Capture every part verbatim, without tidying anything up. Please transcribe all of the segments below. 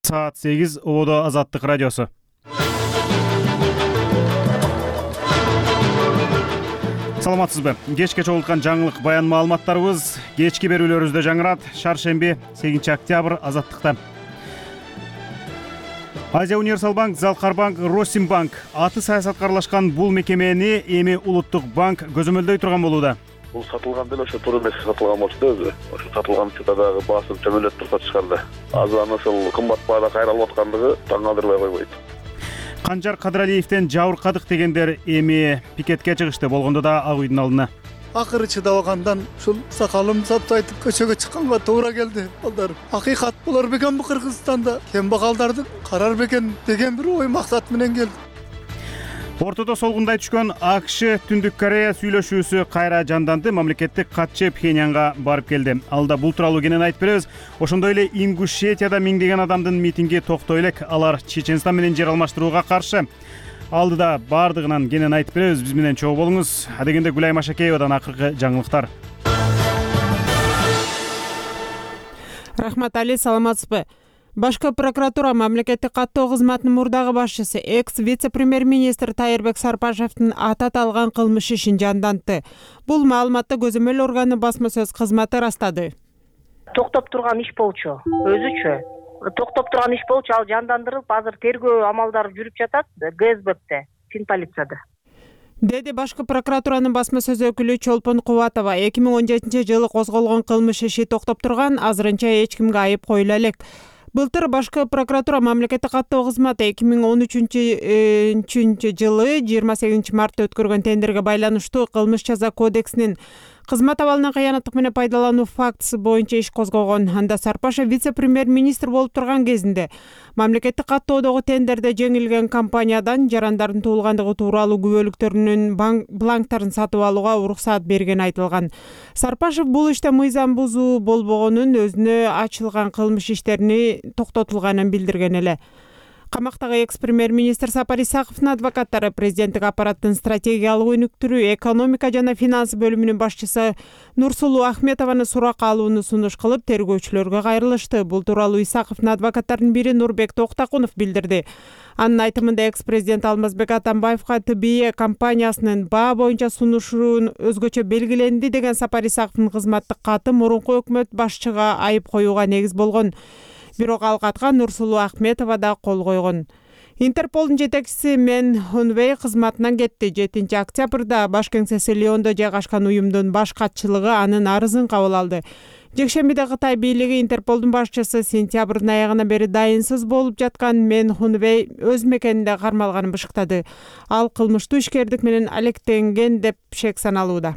Саат сегиз Ободо Азаттык радиосу. Саламатсызбы? Кечке чогулткан жаңылык баян маалыматтарыбыз кечки берүүлөрүбүздө жаңырат. Шаршемби сегизинчи октябрь Азаттыкта. Азия Универсал банк, Залкарбанк, Россимбанк аты саясатка аралашкан бул мекемени эми Улуттук банк көзөмөлдөй турган болууда. Бул сатылган деле ошо тур эмес сатылган болчу да өзү. Ошо сатылганча дагы баасы төмөндөп турса чыгарды. Азыр ошол кымбат баада кайралып аткандыгы таң калтырбай койбойт. Канжар Кадыралиевден жабыркадык дегендер эми пикетке чыгышты, болгондо да Ак үйдүн алдына. Акыры чыдабагандан ушул сакалым саптайтып көчөгө чыкканга туура келди. Балдар, акыйкат болор бекен бу Кыргызстанда кембагалдарды карар бекен деген бир ой максат менен келди. Ортодо солгундай түшкөн АКШ Түндүк Корея сүйлөшүүсү кайра жанданды. Мамлекеттик катчы Пхеньянга барып келди. Алда бул тууралуу кенен айтып беребиз. Ошондой эле Ингушетияда миңдеген адамдын митинги токтой элек. Алар Чеченстан менен жер алмаштырууга каршы. Алдыда бардыгынан кенен айтып беребиз. Биз менен чогуу болуңуз. Адегенде Гүлай Машакеевадан акыркы жаңылыктар. Рахмат Али, саламатсызбы? Башкы прокуратура мамлекеттик каттоо кызматынын мурдагы башчысы экс вице-премьер-министр Тайырбек Сарпашевдин аты аталган кылмыш ишин жандантты. Бул маалыматты көзөмөл органы басма сөз кызматы ырастады. Токтоп турган иш болчу, өзүчө. Токтоп турган иш болчу, ал жандандырылып, азыр тергөө амалдары жүрүп жатат ГСБте, Финполицияда. Деди башкы прокуратуранын басма сөз өкүлү Чолпон Кубатова. эки миң он жетинчи жылы козголгон кылмыш иши токтоп турган, азырынча эч кимге айып коюла элек. Былтыр башкы прокуратура мамлекеттик каттоо кызматы эки миң он үчүнчү жылы жыйырма сегизинчи мартта өткөргөн тендерге байланыштуу кылмыш жаза кодексинин кызмат абалынан кыянаттык менен пайдалануу фактысы боюнча иш козгогон. Анда Сарпашев вице-премьер-министр болуп турган кезинде мамлекеттик каттоодогу тендерде жеңилген компаниядан жарандардын туулгандыгы тууралуу күбөлүктөрүнүн бланктарын сатып алууга уруксаат бергени айтылган. Сарпашев бул иште мыйзам бузуу болбогонун, өзүнө ачылган кылмыш иштерини токтотулганын билдирген эле. Камактагы экс-премьер-министр Сапар Исаковдун адвокаттары президенттик аппараттын стратегиялык өнүктүрүү, экономика жана финанс бөлүмүнүн башчысы Нурсулуу Ахметованы суракка алууну сунуш кылып, тергөөчүлөргө кайрылышты. Бул тууралуу Исаковдун адвокаттарынын бири Нурбек Токтакунов билдирди. Анын айтымында экс-президент Алмазбек Атамбаевга ТБИ компаниясынын баа боюнча сунушун өзгөчө белгиленди деген Сапар Исаковдун кызматтык каты мурунку өкмөт башчыга айып коюуга негиз болгон. Бирок ал катка Нурсулуу Ахметова да кол койгон. Интерполдун жетекчиси Мен Хунвей кызматынан кетти. жетинчи октябрда баш кеңсеси Лиондо жайгашкан уюмдун баш катчылыгы анын арызын кабыл алды. Жекшембиде Кытай бийлиги Интерполдун башчысы сентябрдын аягына бери дайынсыз болуп жаткан Мен Хунвей өз мекенинде кармалганын бышыктады. Ал кылмыштуу ишкердик менен алектенген деп шек саналууда.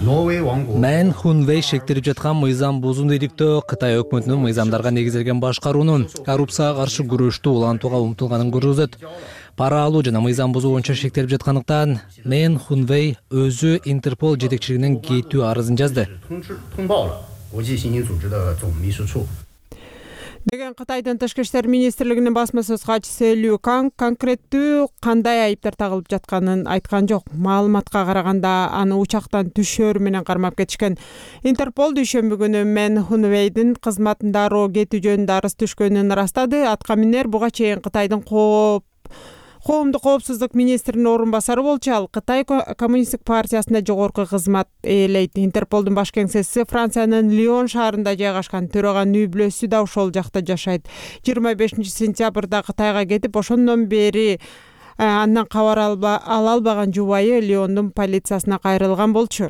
Мен Хунвей шектелип жаткан мыйзам бузууну иликтөө, Кытай өкмөтүнүн мыйзамдарга негизделген башкаруунун коррупцияга каршы күрөштү улантууга умтулганын көрсөтөт. Пара алуу жана мыйзам бузуу боюнча шектелип жаткандыктан Мен Хунвей өзү Интерпол жетекчилигинен кетүү арызын жазды деген Кытайдын тышкы иштер министрлигинин басма сөз катчысы Лю Канг конкреттүү кандай айыптар тагылып жатканын айткан жок. Маалыматка караганда аны учактан түшөөр менен кармап кетишкен. Интерпол дүйшөмбү күнү Мен Хунвейдин кызматын дароо кетүү жөнүндө арыз түшкөнүн ырастады. Атка минер буга чейин Кытайдын кооп Коомдук коопсуздук министринин орун басары болчу. Ал Кытай коммунисттик партиясында жогорку кызмат ээлейт. Интерполдун баш кеңсеси Франциянын Лион шаарында жайгашкан. Төрөган үй бүлөсү да ошол жакта жашайт. жыйырма бешинчи сентябрда Кытайга кетип, ошондон бери андан кабар ала албаган жубайы Лиондун полициясына кайрылган болчу.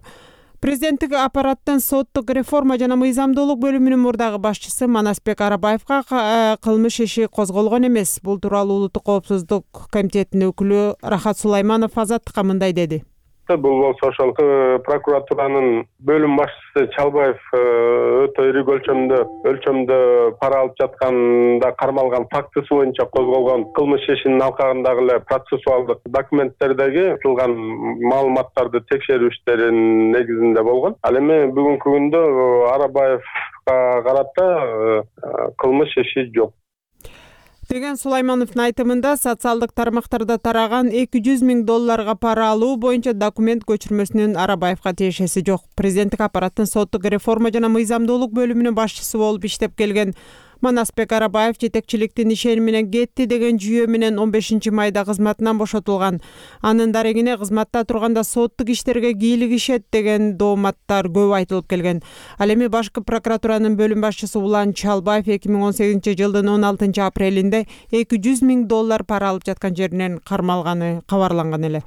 Президенттик аппараттын соттук реформа жана мыйзамдуулук бөлүмүнүн мурдагы башчысы Манасбек Арабаевга кылмыш иши козголгон эмес. Бул тууралуу Улуттук коопсуздук комитетинин өкүлү Рахат Сулайманов Азаттыкка мындай деди. Бул болсо ошол прокуратуранын бөлүм башчысы Чалбаев өтө ири өлчөмдө өлчөмдө пара алып жатканда кармалган фактысы боюнча козголгон кылмыш ишинин алкагындагы эле процессуалдык документтердеги айтылган маалыматтарды текшерүү иштеринин негизинде болгон. Ал эми бүгүнкү күндө Арабаевга карата кылмыш иши жок деген Сулаймановдун айтымында социалдык тармактарда тараган эки жүз миң долларга пара алуу боюнча документ көчүрмөсүнүн Арабаевга тиешеси жок. Президенттик аппараттын соттук реформа жана мыйзамдуулук бөлүмүнүн башчысы болуп иштеп келген Манасбек Арабаев жетекчиликтин ишеними менен кетти деген жүйө менен он бешинчи майда кызматынан бошотулган. Анын дарегине кызматта турганда соттук иштерге кийлигишет деген дооматтар көп айтылып келген. Ал эми башкы прокуратуранын бөлүм башчысы Улан Чалбаев эки миң он сегизинчи жылдын он алтынчы апрелинде эки жүз миң доллар пара алып жаткан жеринен кармалганы кабарланган эле.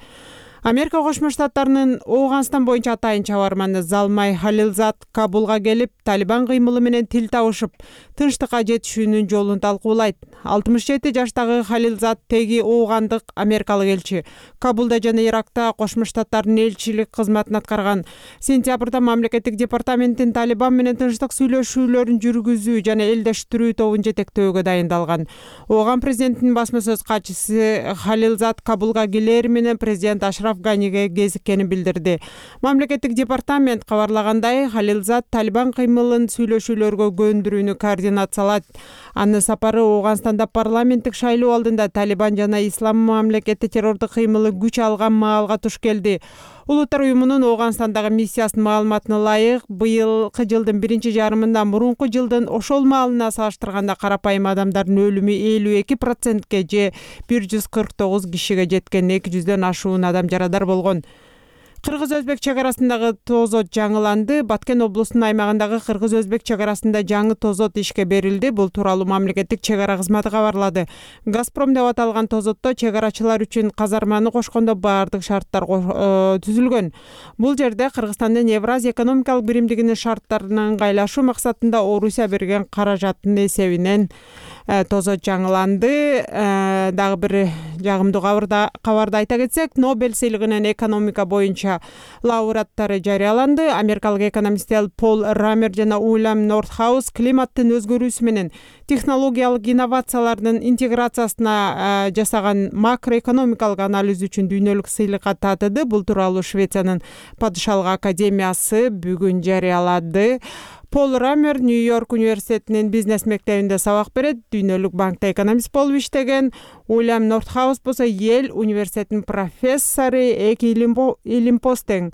Америка Кошмо Штаттарынын Ооганстан боюнча атайын чабарманы Залмай Халилзад Кабулга келип, Талибан кыймылы менен тил табышып, тынчтыкка жетишүүнүн жолун талкуулайт. алтымыш жети жаштагы Халилзад теги оогандык америкалык элчи. Кабулда жана Иракта Кошмо Штаттардын элчилик кызматын аткарган. Сентябрда мамлекеттик департаменттин Талибан менен тынчтык сүйлөшүүлөрүн жүргүзүү жана элдештирүү тобун жетектөөгө дайындалган. Ооган президентинин басма сөз катчысы Халилзад Кабулга келери менен президент Ашраф Ганиге кезиккенин билдирди. Мамлекеттик департамент кабарлагандай, Халилзад Талибан кыймылын сүйлөшүүлөргө көндүрүүнү координациялайт. Анын сапары Ооганстанда парламенттик шайлоо алдында Талибан жана Ислам мамлекети террордук кыймылы күч алган маалга туш келди. Улуттар уюмунун Ооганстандагы миссиясынын маалыматына ылайык, быйылкы жылдын биринчи жарымында мурунку жылдын ошол маалына салыштырганда карапайым адамдардын өлүмү элүү эки процентке же бир жүз кырк тогуз кишиге жеткен, эки жүздөн ашуун адам жарадар болгон. Кыргыз-Өзбек чек арасындагы тозот жаңыланды. Баткен облусунун аймагындагы Кыргыз-Өзбек чек арасында жаңы тозот ишке берилди. Бул тууралуу мамлекеттик чек ара кызматы кабарлады. Газпром деп аталган тозотто чек арачылар үчүн казарманы кошкондо баардык шарттар түзүлгөн. Бул жерде Кыргызстандын Евразия экономикалык биримдигинин шарттарына ыңгайлашуу максатында Орусия берген каражаттын эсебинен тозот жаңыланды. Дагы бир жагымдуу кабарды айта кетсек, Нобель сыйлыгынын экономика боюнча лауреаттары жарыяланды. Америкалык экономисттер Пол Рамер жана Уильям Нортхаус климаттын өзгөрүүсү менен технологиялык инновациялардын интеграциясына жасаган макроэкономикалык анализ үчүн дүйнөлүк сыйлыкка татыды. Бул тууралуу Швециянын падышалык академиясы бүгүн жарыялады. Пол Рамер Нью-Йорк университетинин бизнес мектебинде сабак берет, Дүйнөлүк банкта экономист болуп иштеген. Уильям Нортхаус болсо Йель университетинин профессору, эки илимпоз тең.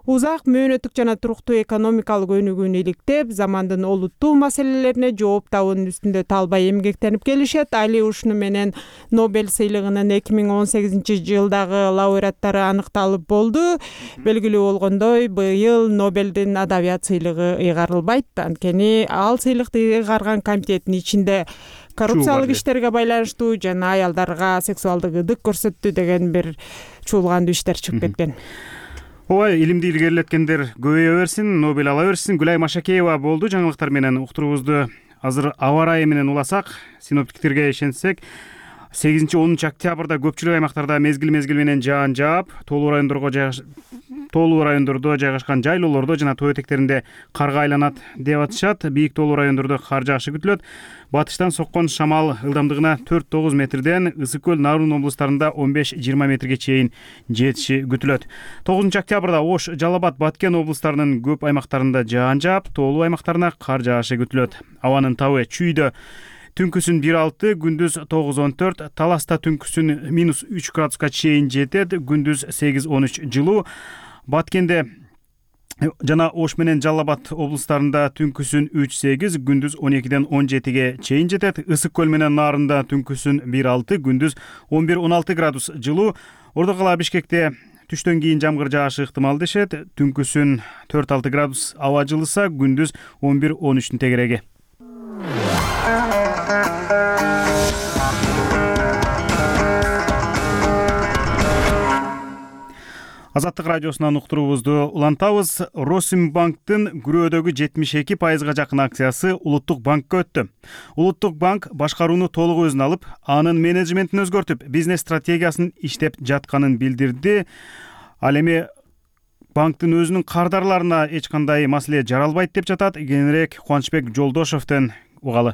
Узак мөөнөттүк жана туруктуу экономикалык өнүгүүнү иликтеп, замандын олуттуу маселелерине жооп табуунун үстүндө талбай эмгектенип келишет. Али ушуну менен Нобель сыйлыгынын эки миң он сегизинчи жылдагы лауреаттары аныкталып болду. Белгилүү болгондой, быйыл Нобелдин адабият сыйлыгы ыйгарылбайт. Анткени ал сыйлыкты ыйгарган комитеттин ичинде коррупциялык иштерге байланыштуу жана аялдарга сексуалдык ыдык көрсөттү деген бир чуулгандуу иштер чыгып кеткен. Ой, илимди илгерилеткендер көбөйө берсин, Нобель ала берсин. Гүлай Машакеева болду. Жаңылыктар менен уктуруубузду азыр аба ырайы менен уласак, синоптиктерге ишенсек, сегизинчи онунчу октябрда көпчүлүк аймактарда мезгил-мезгил менен жаан жаап, тоолуу райондорго жайгаш... тоолуу райондордо жайгашкан жайлоолордо жана тоо этектеринде карга айланат деп атышат. Бийик тоолуу райондордо кар жаашы күтүлөт. Батыштан соккон шамал ылдамдыгына төрт тогуз метрден, Ысык көл, Нарын облустарында он беш жыйырма метрге чейин жетиши күтүлөт. тогузунчу октябрда Ош, Жалал Абад, Баткен облустарынын көп аймактарында жаан жаап, тоолуу аймактарына кар жаашы күтүлөт. Абанын табы Чүйдө түнкүсүн бир алты, күндүз тогуз он төрт, Таласта түнкүсүн минус үч градуска чейин жетет, күндүз сегиз он үч жылуу. Баткенде жана Ош менен Жалал Абад облустарында түнкүсүн үч сегиз, күндүз он экиден он жетиге чейин жетет. Ысык көл менен Нарында түнкүсүн бир алты, күндүз он бир он алты градус жылуу. Ордо кала Бишкекте түштөн кийин жамгыр жаашы ыктымал дешет. Түнкүсүн төрт алты градус аба жылыса, күндүз он бир он үчтүн тегереги. Азаттык радиосунан уктуруубузду улантабыз. Росимбанктын күрөөдөгү жетимиш эки пайызга жакын акциясы Улуттук банкка өттү. Улуттук банк башкарууну толук өзүнө алып, анын менеджментин өзгөртүп, бизнес стратегиясын иштеп жатканын билдирди. Ал эми банктын өзүнүн кардарларына эч кандай маселе жаралбайт деп жатат. Кененирээк Кубанычбек Жолдошовдон угалы.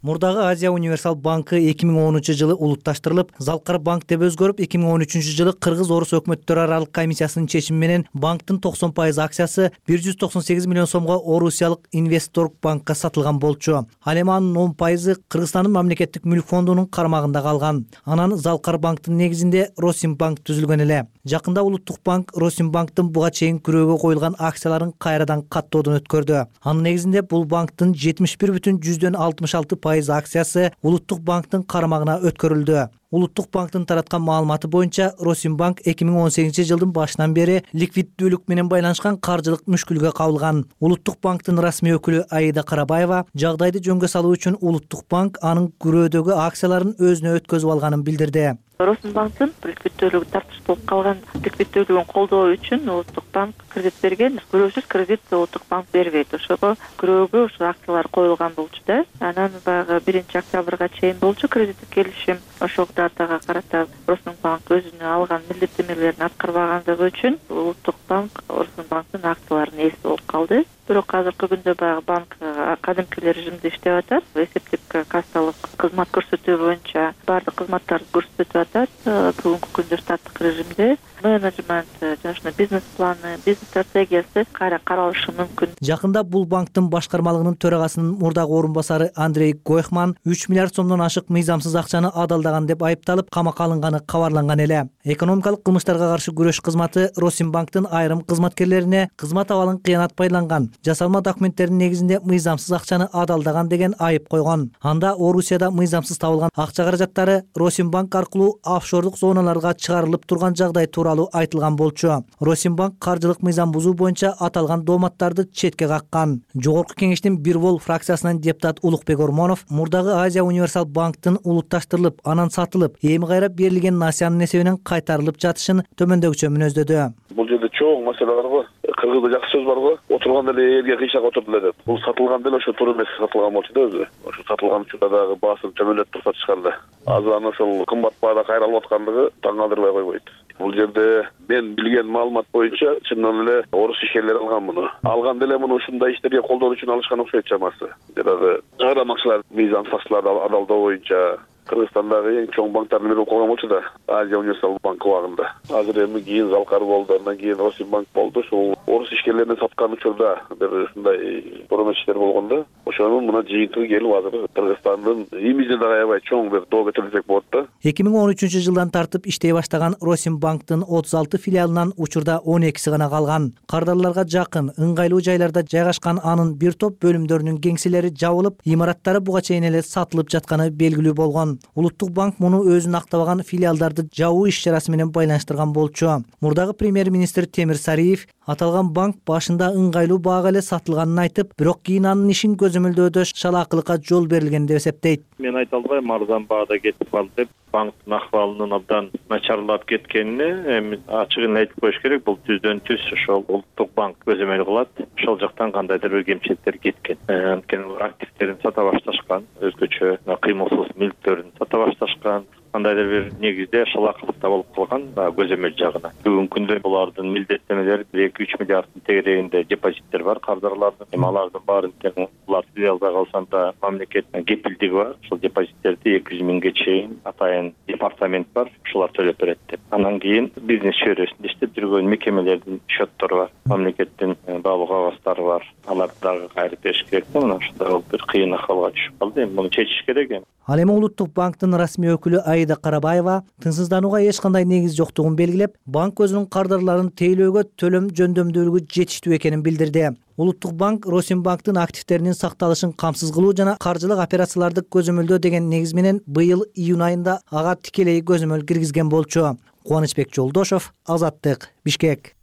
Мурдагы Азия универсал банкы эки миң онунчу жылы улутташтырылып, Залкар банк деп өзгөрүп, эки миң он үчүнчү жылы Кыргыз-Орус өкмөттөрү аралык комиссиясынын чечими менен банктын токсон пайыз акциясы бир жүз токсон сегиз миллион сомго Орусиялык Инвесторг банкка сатылган болчу. Ал эми анын он пайызы Кыргызстандын мамлекеттик мүлк фондунун кармагында калган. Анан Залкар банктын негизинде Росимбанк түзүлгөн эле. Жакында Улуттук банк Росимбанктын буга чейин күрөөгө коюлган акцияларын кайрадан каттоодон өткөрдү. Анын негизинде бул банктын жетимиш бир бүтүн жүздөн алтымыш алты пайыз акциясы Улуттук банктын карамагына өткөрүлдү. Улуттук банктын тараткан маалыматы боюнча Росимбанк эки миң он сегизинчи жылдын башынан бери ликвиддүүлүк менен байланышкан каржылык мүшкүлгө кабылган. Улуттук банктын расмий өкүлү Аида Карабаева жагдайды жөнгө салуу үчүн Улуттук банк анын күрөөдөгү акцияларын өзүнө өткөзүп алганын билдирди. Росимбанктын ликвиддүүлүгү тартыш болуп калган ликвиддүүлүгүн колдоо үчүн Улуттук банк кредит берген. Күрөөсүз кредит Улуттук банк бербейт. Ошого күрөөгө ушул акциялар коюлган болчу да. Анан баягы биринчи октябрга чейин болчу кредиттик келишим. Ошол датага карата Росимбанк өзүнө алган милдеттенмелерин аткарбагандыгы үчүн Улуттук банк Росимбанктын акцияларын ээси болуп калды. Бирок азыркы күндө баягы банк кадимки режимде иштеп атат. Эсептик кассалык кызмат көрсөтүү боюнча баардык кызматтарды көрсөтүп атат. Бүгүнкү күндө штаттык режимде менеджмент жана ушундай бизнес планы, бизнес стратегиясы кайра каралышы мүмкүн. Жакында бул банктын башкармалыгынын төрагасынын мурдагы орун басары Андрей Гойхман үч миллиард сомдон ашык мыйзамсыз акчаны адалдаган деп айыпталып камакка алынганы кабарланган эле. Экономикалык кылмыштарга каршы күрөш кызматы Росимбанктын айрым кызматкерлерине кызмат абалын кыянат байланган, жасалма документтердин негизинде мыйзамсыз акчаны адалдаган деген айып койгон. Анда Орусияда мыйзамсыз табылган акча каражаттары Росимбанк аркылуу офшордук зоналарга чыгарылып турган жагдай тууралуу айтылган болчу. Росимбанк каржылык мыйзам бузуу боюнча аталган дооматтарды четке каккан. Жогорку кеңештин бир бол фракциясынан депутат Улукбек Ормонов мурдагы Азия Универсал банктын улутташтырылып, анан сатылып, эми кайра берилген насыянын эсебинен кайтарылып жатышын төмөндөгүчө мүнөздөдү. Бул жерде чоң маселе бар го. Кыргызда жакшы сөз бар го. Отурган эле элге кыйшак отурду эле деп. Бул сатылган деле ошо туура эмес сатылган болчу да өзү. Ошо сатылган учурда дагы басым чөмөлөт туруп сатышканда. Азыр аны ошол кымбат баада кайралып аткандыгы таң калтырбай койбойт. Бул жерде мен билген маалымат боюнча чындан эле орус ишкерлери алган муну. Алган деле муну ушундай иштерге колдоо үчүн алышкан окшойт чамасы. Жанагы чыгарамакчылар мыйзам фактларды адалдоо боюнча Кыргызстандагы эң чоң банктардын бири болуп калган болчу да, Азия Универсал банк убагында. Азыр эми кийин Залкар болду, андан кийин Росимбанк болду. Ошол орус ишкерлерине саткан учурда бир ушундай бурун иштер болгондо, ошонун мына жыйынтыгы келип азыр Кыргызстандын имиджине да аябай чоң бир доо кетири десек болот да. эки миң он үчүнчү жылдан тартып иштей баштаган Росимбанктын отуз алты филиалынан учурда он экиси гана калган. Кардарларга жакын, ыңгайлуу жайларда жайгашкан анын бир топ бөлүмдөрүнүн кеңселери жабылып, имараттары буга чейин эле сатылып жатканы белгилүү болгон. Улуттук банк муну өзүн актабаган филиалдарды жабуу иш-чарасы менен байланыштырган болчу. Мурдагы премьер-министр Темир Сариев аталган банк башында ыңгайлуу баага эле сатылганын айтып, бирок кийин анын ишин көзөмөлдөөдө шалаакылыкка жол берилген деп эсептейт. Мен айта албайм арзан баада кетип калды деп. Банктын акыбалынын абдан начарлап кеткенине эми ачыгын айтып коюш керек. Бул түздөн түз ошол Улуттук банк көзөмөл кылат. Ошол жактан кандайдыр бир кемчиликтер кеткен. Анткени активдерин сата башташкан, өзгөчө кыймылсыз мүлктөрүн сата башташкан. Кандайдыр бир негизде шалаакылыкта болуп калган көзөмөл жагына. Бүгүнкү күндө булардын милдеттенмелери эки үч миллиарддын тегерегинде депозиттер бар кардарлардын. Эми алардын баарын тең булар түзөй албай калсанда мамлекет кепилдиги бар. Ошол депозиттерди эки жүз миңге чейин атайын департамент бар, ушулар төлөп берет деп. Андан кийин бизнес чөйрөсүндө иштеп жүргөн мекемелердин счеттору бар, мамлекеттин баалуу кагазтары бар. Аларды дагы кайрып бериш керек. Мына ушундай бир кыйын акыбалга түшүп калды. Эми муну чечиш керек эми. Ал эми Улуттук банктын расмий өкүлү Аида Карабаева тынчсызданууга эч кандай негиз жоктугун белгилеп, банк өзүнүн кардарларын тейлөөгө төлөм жөндөмдүүлүгү жетиштүү экенин билдирди. Улуттук банк Росимбанктын активдеринин сакталышын камсыз кылуу жана каржылык операцияларды көзөмөлдөө деген негиз менен быйыл июнь айында ага тикелей көзөмөл киргизген болчу. Кубанычбек Жолдошов, Азаттык, Бишкек.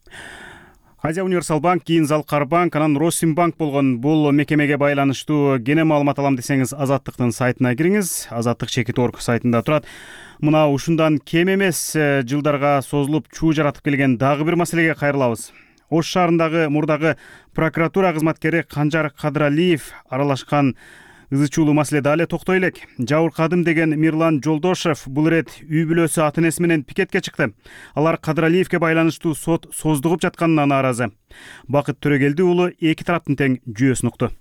Азия Универсал банк, кийин Залкар банк, анан Росимбанк болгон бул мекемеге байланыштуу кене маалымат алам десеңиз Азаттыктын сайтына кириңиз. Азаттык чекит точка орг сайтында турат. Мына ушундан кем эмес жылдарга созулуп чуу жаратып келген дагы бир маселеге кайрылабыз. Ош шаарындагы мурдагы прокуратура кызматкери Канжар Кадыралиев аралашкан ызы чуулуу маселеде эле токтой элек. Жабыр кадым деген Мирлан Жолдошев бул ирет үй бүлөсү ата энеси менен пикетке чыкты. Алар Кадыралиевке байланыштуу сот создугуп жатканына нааразы. Бакыт Төрөгелди уулу эки тараптын тең жүйөсүн укту.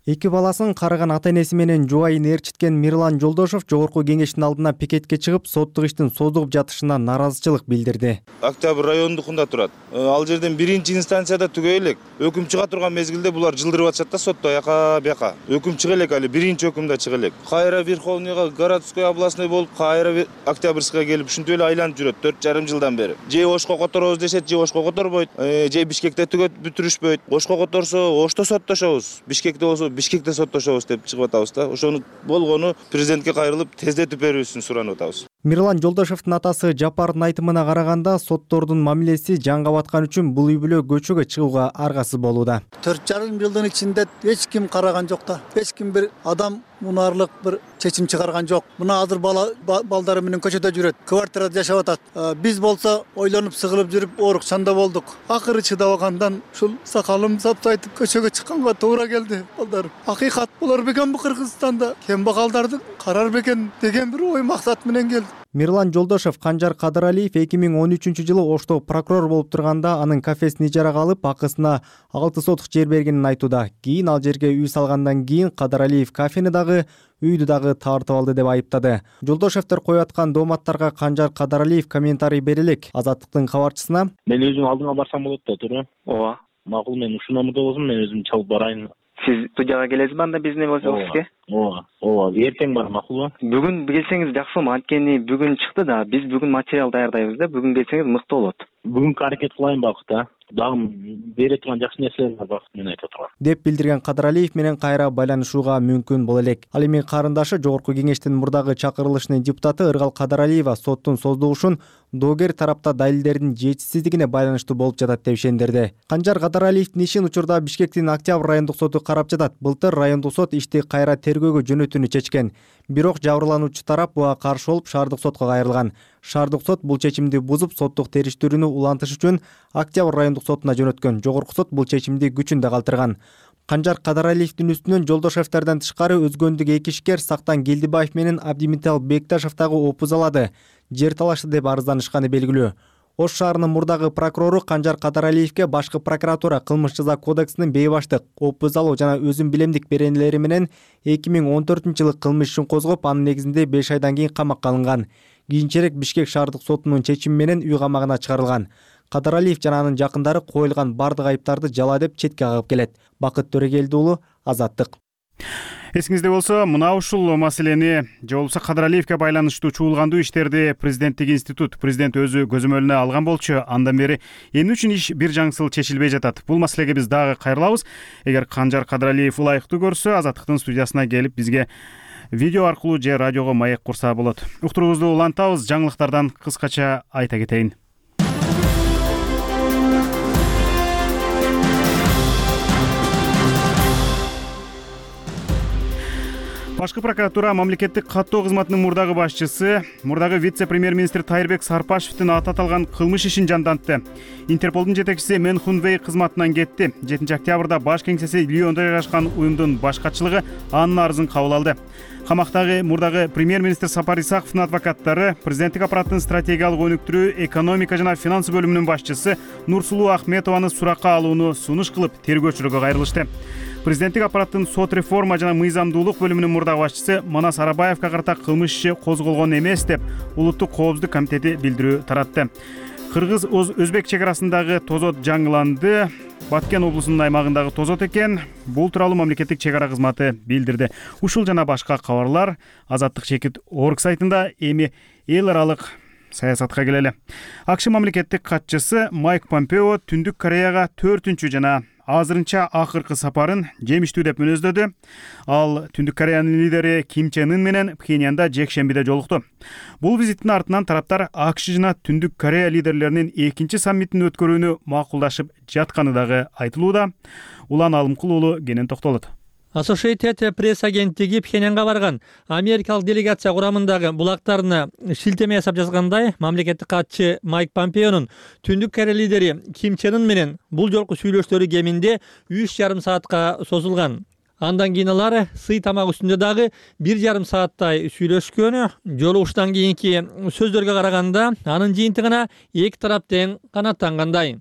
Эки баласын карыган ата энеси менен жубайын ээрчиткен Мирлан Жолдошев жогорку кеңештин алдына пикетке чыгып, соттук иштин создугуп жатышына нааразычылык билдирди. Октябрь райондукунда турат. Ал жерден биринчи инстанцияда түгөй элек. Өкүм чыга турган мезгилде булар жылдырып атышат да сотто аяка бияка. Өкүм чыга элек, али биринчи өкүмдө чыга элек. Кайра Верховныйга, городской областной болуп, кайра Октябрьская келип, ушинтип эле айланып жүрөт төрт жарым жылдан бери. Же Ошко которобуз дешет, же Ошко которбойт. Же Бишкекте түгөт бүтүрүшпөйт. Ошко которсо, Ошто соттошобуз. Бишкекте болсо Бишкекте соттошобуз деп чыгып атабыз да. Ошону болгону президентке кайрылып тездетип берүүсүн суранып атабыз. Мирлан Жолдошевдун атасы Жапардын айтымына караганда, соттордун мамилеси жанга баткан үчүн бул үй бүлө көчөгө чыгууга аргасыз болууда. төрт жарым жылдын ичинде эч ким караган жок да. Эч ким бир адам мунаарлык бир чечим чыгарган жок. Мына азыр бала балдары менен көчөдө жүрөт, квартирада жашап атат. Биз болсо ойлонуп сыгылып жүрүп оорукчанда болдук. Акыры чыдабагандан ушул сакалым сапсайтып көчөгө чыкканга туура келди. Балдар, акыйкат болор бекен бу Кыргызстанда? Кембагалдарды карар бекен деген бир ой максат менен келди. Мирлан Жолдошев Канжар Кадыралиев эки миң он үчүнчү жылы Ошто прокурор болуп турганда анын кафесин ижарага алып, акысына алты сотук жер бергенин айтууда. Кийин ал жерге үй салгандан кийин Кадыралиев кафени дагы, үйдү дагы тартып алды деп айыптады. Жолдошевдер коюп аткан дооматтарга Канжар Кадыралиев комментарий бере элек. Азаттыктын кабарчысына: "Мен өзүм алдыңа барсам болот да, туура?" Ооба. Макул, мен ушул номерде болсом, мен өзүм чалып барайын. Сиз студияга келесизби анда биздин возле? Ооба. Ооба. Эртең бар, макулбу? Бүгүн келсеңиз жакшы болмок. Анткени бүгүн чыкты да, биз бүгүн материал даярдайбыз да. Бүгүн келсеңиз мыкты болот. Бүгүнкү аракет кылайын бакыт, дагы бере турган жакшы нерселер бар бакыт менен айтып турган. Деп билдирген Кадыралиев менен кайра байланышууга мүмкүн боло элек. Ал эми карындашы Жогорку кеңештин мурдагы чакырылышынын депутаты Ыргал Кадыралиева соттун создугушун доогер тарапта далилдердин жетишсиздигине байланыштуу болуп жатат деп ишендирди. Канжар Кадыралиевдин ишин учурда Бишкектин Октябрь райондук соту карап жатат. Былтыр райондук сот ишти кайра тергөөгө жөнөтүүнү чечкен. Бирок жабырлануучу тарап буга каршы болуп шаардык сотко кайрылган. Шаардык сот бул чечимди бузуп, соттук териштирүүнү улантыш үчүн Октябрь райондук сотуна жөнөткөн. Жогорку сот бул чечимди күчүндө калтырган. Канжар Кадыралиевдин үстүнөн Жолдошевдерден тышкары өзгөндүк эки ишкер Сактан Келдибаев менен Абдимитал Бекташев дагы опуз алады. Жер талашты деп арызданышканы белгилүү. Ош шаарынын мурдагы прокурору Канжар Кадыралиевге башкы прокуратура кылмыш жаза кодексинин бейбаштык, опуз алуу жана өзүн билемдик беренелери менен эки миң он төртүнчү жылы кылмыш ишин козгоп, анын негизинде беш айдан кийин камакка алынган. Кийинчерээк Бишкек шаардык сотунун чечими менен үй камагына чыгарылган. Кадыралиев жана анын жакындары коюлган бардык айыптарды жала деп четке кагып келет. Бакыт Төрөгелди уулу, Азаттык. Эсиңизде болсо, мына ушул маселени же болбосо Кадыралиевге байланыштуу чуулгандуу иштерди президенттик институт президент өзү көзөмөлүнө алган болчу. Андан бери эмне үчүн иш бир жаңсыл чечилбей жатат? Бул маселеге биз дагы кайрылабыз. Эгер Канжар Кадыралиев ылайыктуу көрсө, Азаттыктын студиясына келип бизге видео аркылуу же радиого маек курса болот. Уктуруубузду улантабыз. Жаңылыктардан кыскача айта кетейин. Башкы прокуратура мамлекеттик каттоо кызматынын мурдагы башчысы, мурдагы вице-премьер-министр Тайырбек Сарпашевдин аты аталган кылмыш ишин жандантты. Интерполдун жетекчиси Мен Хун Вей кызматынан кетти. жетинчи октябрда баш кеңсеси Лиондо жайгашкан уюмдун баш катчылыгы анын арызын кабыл алды. Камактагы мурдагы премьер-министр Сапар Исаковдун адвокаттары президенттик аппараттын стратегиялык өнүктүрүү, экономика жана финансы бөлүмүнүн башчысы Нурсулуу Ахметованы суракка алууну сунуш кылып тергөөчүлөргө кайрылышты. Президенттик аппараттын сот реформа жана мыйзамдуулук бөлүмүнүн мурдагы башчысы Манас Арабаевга карата кылмыш иши козголгон эмес деп Улуттук коопсуздук комитети билдирүү таратты. Кыргыз-Өзбек чек арасындагы тозот жаңыланды. Баткен облусунун аймагындагы тозот экен. Бул тууралуу мамлекеттик чек ара кызматы билдирди. Ушул жана башка кабарлар Азаттык чекит орг сайтында. Эми эл аралык саясатка келели. АКШ мамлекеттик катчысы Майк Помпео Түндүк Кореяга төртүнчү жана азырынча акыркы сапарын жемиштүү деп мүнөздөдү. Ал Түндүк Кореянын лидери Ким Чен Ын менен Пхеньянда жекшембиде жолукту. Бул визиттин артынан тараптар АКШ жана Түндүк Корея лидерлеринин экинчи саммитин өткөрүүнү макулдашып жатканы дагы айтылууда. Улан Алымкул уулу кенен токтолот. Associated Press агенттиги Пхеньянга барган америкалык делегация курамындагы булактарына шилтеме жасап жазгандай, мамлекеттик катчы Майк Помпеонун Түндүк Корея лидери Ким Чен Ын менен бул жолку сүйлөшүүлөрү кеминде үч жарым саатка созулган. Андан кийин алар сый тамак үстүндө дагы бир жарым сааттай сүйлөшкөн. Жолугуштан кийинки сөздөргө караганда анын жыйынтыгына эки тарап тең канааттангандай.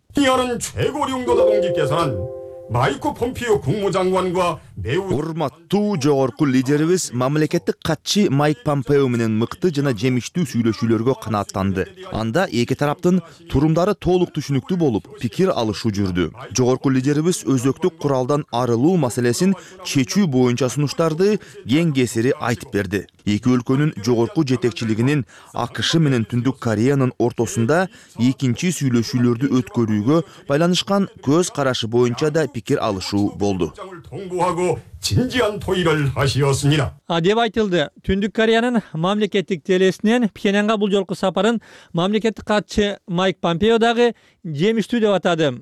마이크 폼피오 국무장관과 매우 урматтуу жогорку лидерибиз мамлекеттик катчы Майк Помпео менен мыкты жана жемиштүү сүйлөшүүлөргө канааттанды. Анда эки тараптын турумдары толук түшүнүктүү болуп, пикир алышуу жүрдү. Жогорку лидерибиз өзөктүк куралдан арылуу маселесин чечүү боюнча сунуштарды кең кесири айтып берди. Эки өлкөнүн жогорку жетекчилигинин АКШ менен Түндүк Кореянын ортосунда экинчи сүйлөшүүлөрдү өткөрүүгө байланышкан көз карашы боюнча да пикир алышуу болду. 동부하고 위해서 진지한 토의를 하시었습니다. деп айтылды. Түндүк Кореянын мамлекеттик телесинен Пхенянга бул жолку сапарын мамлекеттик катчы Майк Помпео дагы жемиштүү деп атады.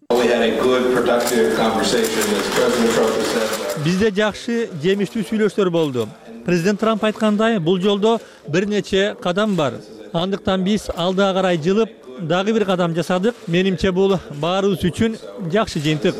Бизде жакшы жемиштүү сүйлөшүүлөр болду. Президент Трамп айткандай, бул жолдо бир нече кадам бар. Андыктан биз алдыга карай жылып дагы бир кадам жасадык. Менимче бул баарыбыз үчүн жакшы жыйынтык.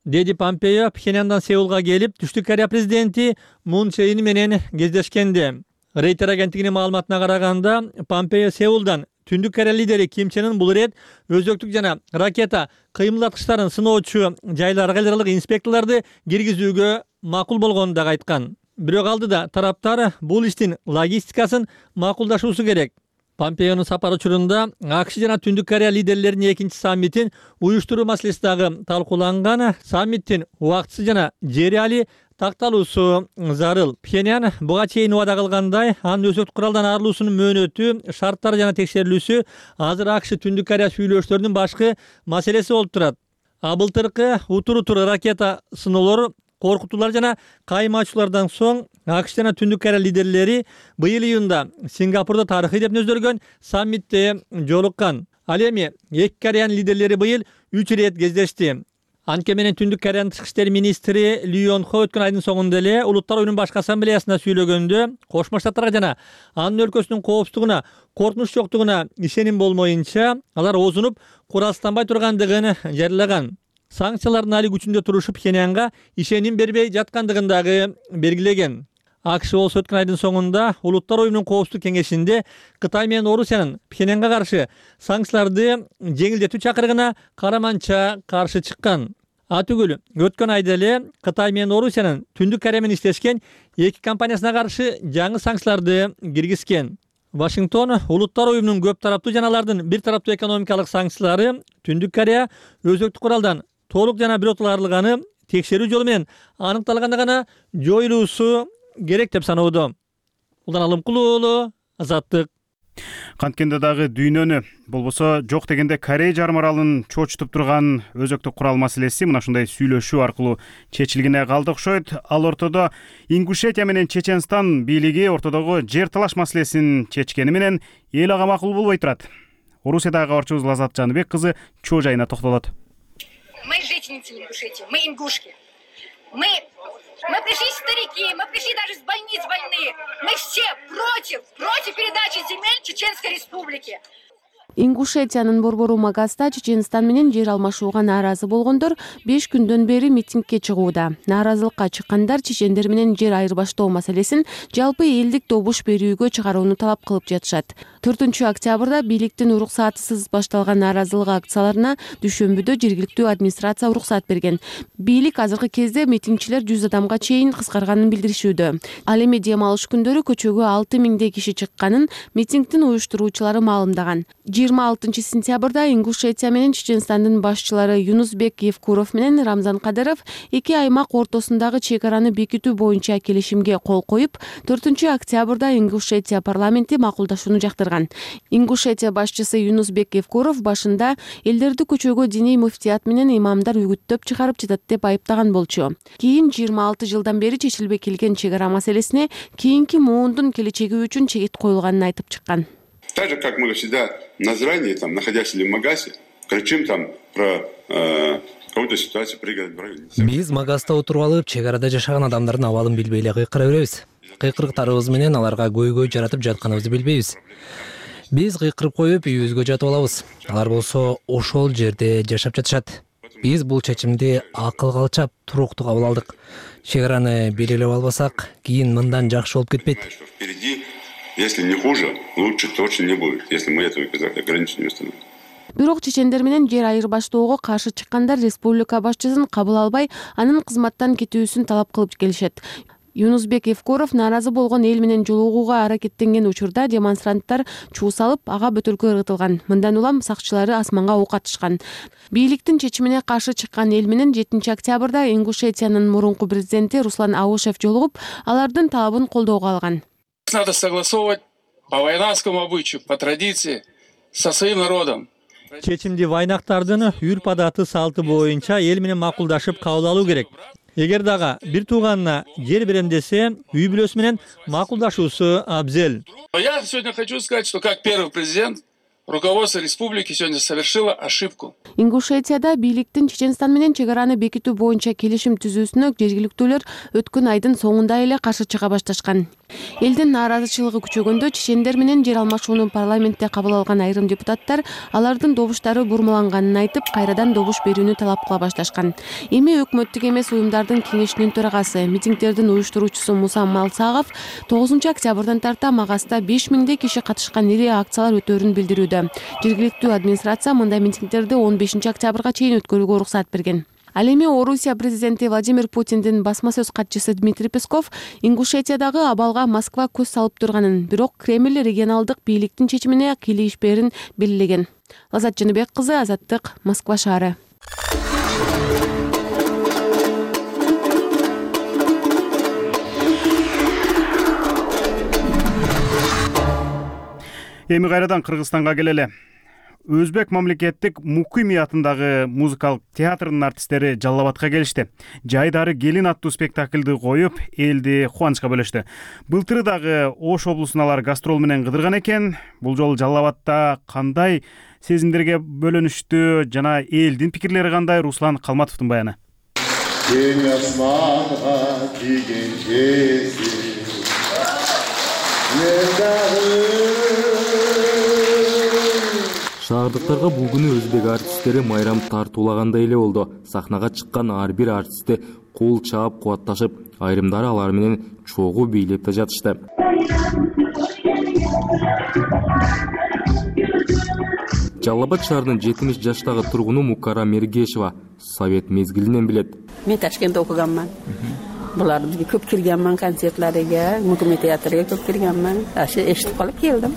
Деди Помпео Пхеняндан Сеулга келип, Түштүк Корея президенти Мун Чже Ин менен кездешкенде. Рейтер агенттигинин маалыматына караганда, Помпео Сеулдан Түндүк Корея лидери Ким Чен Ын бул ирет өзөктүк жана ракета кыймылдаткычтарын сыноочу жайларга аларылык инспекторлорду киргизүүгө макул болгонун дагы айткан. Бирок алдыда тараптар бул иштин логистикасын макулдашуусу керек. Помпеонун сапары учурунда АКШ жана Түндүк Корея лидерлеринин экинчи саммитин уюштуруу маселеси дагы талкууланган. Саммиттин убактысы жана жериали такталуусу зарыл. Пхеньян буга чейин убада кылгандай, анын өзөктүк куралдан арылуусунун мөөнөтү, шарттары жана текшерилүүсү азыр АКШ Түндүк Корея сүйлөшүүлөрүнүн башкы маселеси болуп турат. А былтыркы утур-утур ракета сыноолор, коркутуулар жана кайма соң АКШ жана Түндүк Корея лидерлери быйыл июнда Сингапурда тарыхый деп нөздөргөн саммитте жолуккан. Ал эми эки Кореянын лидерлери быйыл үч ирет кездешти. Анткени менен Түндүк Кореянын тышкы иштер министри Ли Йон Хо өткөн айдын соңунда эле Улуттар оюнунун башкы ассамблеясында сүйлөгөндө Кошмо Штаттарга жана анын өлкөсүнүн коопсуздугуна коркунуч жоктугуна ишеним болмоюнча алар оозунуп куралсызданбай тургандыгын жарыялаган. Санкциялардын али күчүндө турушу Пхеньянга ишеним бербей жаткандыгын дагы белгилеген. АКШ болсо өткөн айдын соңунда Улуттар оюнунун коопсуздук кеңешинде Кытай менен Орусиянын Пхеньянга каршы санкцияларды жеңилдетүү чакырыгына караманча каршы чыккан. Атүгүл өткөн айда эле Кытай менен Орусиянын Түндүк Корея менен иштешкен эки компаниясына каршы жаңы санкцияларды киргизген. Вашингтон Улуттар оюнунун көп тараптуу жана алардын бир тараптуу экономикалык санкциялары Түндүк Корея өзөктүк куралдан толук жана биротоло арылганы текшерүү жолу менен аныкталганда гана жоюлуусу керек деп саноодо. Улан Алымкул уулу, Азаттык. Канткенде дагы дүйнөнү болбосо жок дегенде Корея жарым аралын чочутуп турган өзөктүк курал маселеси мына ушундай сүйлөшүү аркылуу чечилгене калды окшойт. Ал ортодо Ингушетия менен Чеченстан бийлиги ортодогу жер талаш маселесин чечкени менен эл ага макул болбой турат. Орусиядагы кабарчыбыз Лазат Жаныбек кызы чоо жайына токтолот. Мы жительницы Ингушетии, мы ингушки. Мы, мы пришли старики, мы пришли даже с больниц больные. Мы все против, против передачи земель Чеченской Республики. Ингушетиянын борбору Магаста Чеченстан менен жер алмашууга нааразы болгондор беш күндөн бери митингге чыгууда. Нааразылыкка чыккандар чечендер менен жер айырбаштоо маселесин жалпы элдик добуш берүүгө чыгарууну талап кылып жатышат. төртүнчү октябрда бийликтин уруксатысыз башталган нааразылык акцияларына дүйшөмбүдө жергиликтүү администрация уруксат берген. Бийлик азыркы кезде митингчилер жүз адамга чейин кыскарганын билдиришүүдө. Ал эми дем алыш күндөрү көчөгө алты миңдей киши чыкканын митингдин уюштуруучулары маалымдаган. жыйырма алтынчы сентябрда Ингушетия менен Чеченстандын башчылары Юнусбек Евкуров менен Рамзан Кадыров эки аймак ортосундагы чек араны бекитүү боюнча келишимге кол коюп, төртүнчү октябрда Ингушетия парламенти макулдашууну жактырган. Ингушетия башчысы Юнусбек Евкуров башында элдерди көчөгө диний муфтият менен имамдар үгүттөп чыгарып жатат деп айыптаган болчу. Кийин жыйырма алты жылдан бери чечилбей келген чек ара маселесине кийинки муундун келечеги үчүн чегит коюлганын айтып чыккан. Так же, как мы всегда на заранее, там, находясь в Магасе, кричим там про э, какую-то ситуацию пригодной границы. Биз Магаста отуруп алып, чек арада жашаган адамдардын абалын билбей эле кыйкыра беребиз. Кыйкырыктарыбыз менен аларга көйгөй жаратып жатканыбызды билбейбиз. Биз кыйкырып коюп үйүбүзгө жатып алабыз. Алар болсо ошол жерде жашап жатышат. Биз бул чечимди акылга алчап, туруктуу кабыл алдык. Чек араны белгилеп албасак, кийин мындан жакшы болуп кетпейт. Если не хуже, лучше точно не будет, если мы эту ограничение установим. Бирок чечендер менен жер айырбаштоого каршы чыккандар республика башчысын кабыл албай, анын кызматтан кетүүсүн талап кылып келишет. Юнусбек Евкуров нааразы болгон эл менен жолугууга аракеттенген учурда демонстранттар чуу салып, ага бөтөлкө ыргытылган. Мындан улам сакчылары асманга ок атышкан. Бийликтин чечимине каршы чыккан эл менен жетинчи октябрда Ингушетиянын мурунку президенти Руслан Аушев жолугуп, алардын талабын колдоого алган. Надо согласовывать по вайнакскому обычаю, по традиции, со своим народом. Чечимди вайнактардын үрп адаты салты боюнча эл менен макулдашып кабыл алуу керек. Эгер дагы бир тууганына жер берем десе, үй бүлөсү менен макулдашуусу абзел. Я сегодня хочу сказать, что как первый президент руководство республики сегодня совершило ошибку. Ингушетияда бийликтин Чеченстан менен чек араны бекитүү боюнча келишим түзүүсүнө жергиликтүүлөр өткөн айдын соңунда эле каршы чыга башташкан. Элдин нааразычылыгы күчөгөндө чечендер менен жер алмашууну парламентте кабыл алган айрым депутаттар алардын добуштары бурмаланганын айтып, кайрадан добуш берүүнү талап кыла башташкан. Эми өкмөттүк эмес уюмдардын кеңешинин төрагасы, митингдердин уюштуруучусу Муса Малсагов тогузунчу октябрдан тарта Магаста беш миңдей киши катышкан ири акциялар өтөөрүн билдирүүдө. Жергиликтүү администрация мындай митингдерди он бешинчи октябрга чейин өткөрүүгө уруксат берген. Ал эми Орусия президенти Владимир Путиндин басма сөз катчысы Дмитрий Песков Ингушетиядагы абалга Москва көз салып турганын, бирок Кремль регионалдык бийликтин чечимине кийлигишпээрин белгилеген. Лазат Жаныбек кызы, Азаттык, Москва шаары. Эми кайрадан Кыргызстанга келели. Өзбек мамлекеттик Мукими атындагы музыкалык театрынын артисттери Жалал Абадка келишти. Жайдары келин аттуу спектакльди коюп, элди кубанычка бөлөштү. Былтыры дагы Ош облусуна алар гастрол менен кыдырган экен. Бул жолу Жалал Абадта кандай сезимдерге бөлөнүштү жана элдин пикирлери кандай? Руслан Калматовдун баяны. Кең асманга тийген жези Шаардыктарга бул күнү өзбек артисттери майрам тартуулагандай эле болду. Сахнага чыккан ар бир артистти кол чаап кубатташып, айрымдары алар менен чогуу бийлеп да жатышты. Жалал Абад шаарынын жетимиш жаштагы тургуну Мукара Мергешева совет мезгилинен билет. Мен Ташкентте окуганмын. Буларды көп киргенмин, концертлерге, Мукими театрга көп киргенмин. Ашы эшитип калып келдим.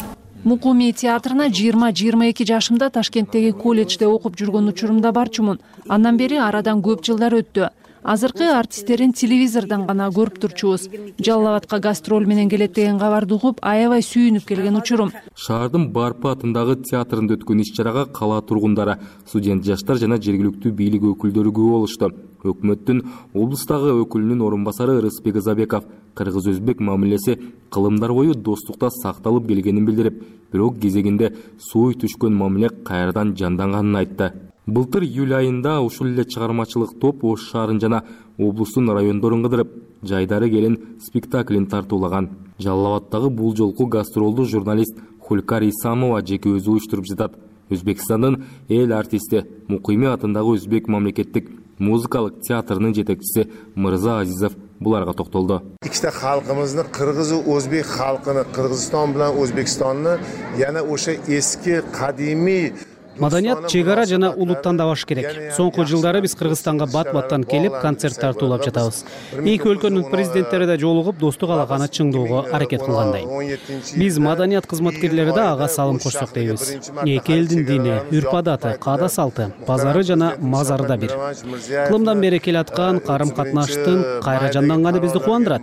Мукуми театрына жыйырма жыйырма эки жашымда Ташкенттеги колледжде окуп жүргөн учурумда барчумун. Андан бери арадан көп жылдар өттү. Азыркы артисттерин телевизордон гана көрүп турчубуз. Жалал Абадка гастроль менен келет деген кабарды угуп, аябай сүйүнүп келген учурум. Шаардын Барпы атындагы театрында өткөн иш-чарага кала тургундары, студент жаштар жана жергиликтүү бийлик өкүлдөрү күбө болушту. Өкмөттүн облустагы өкүлүнүн орун басары Рыспек Забеков кыргыз-өзбек мамилеси кылымдар бою достукта сакталып келгенин билдирип, бирок кезегинде сууй түшкөн мамиле кайрадан жанданганын айтты. Былтыр июль айында ушул эле чыгармачылык топ Ош шаарын жана облустун райондорун кыдырып, жайдары келин спектаклин тартуулаган. Жалал Абадтагы бул жолку гастролду журналист Хулкар Исамова жеке өзү уюштуруп жатат. Өзбекстандын эл артисти Мукими атындагы өзбек мамлекеттик музыкалык театрынын жетекчиси Мырза Азизов буларга токтолду. Ikkita xalqimizni, Qirg'iz va o'zbek xalqini, Qirg'iziston bilan O'zbekistonni yana o'sha eski qadimiy Маданият чек ара жана улуттандабаш керек. Соңку жылдары биз Кыргызстанга бат-баттан келип концерт тартуулап жатабыз. Эки өлкөнүн президенттери да жолугуп достук алаканы чыңдоого аракет кылгандай. Биз маданият кызматкерлери да ага салым кошсок дейбиз. Эки элдин дини, үрп-адаты, каада салты, базары жана мазары да бир. Кылымдан бери келаткан карым катнаштын кайра жанданганы бизди кубандырат.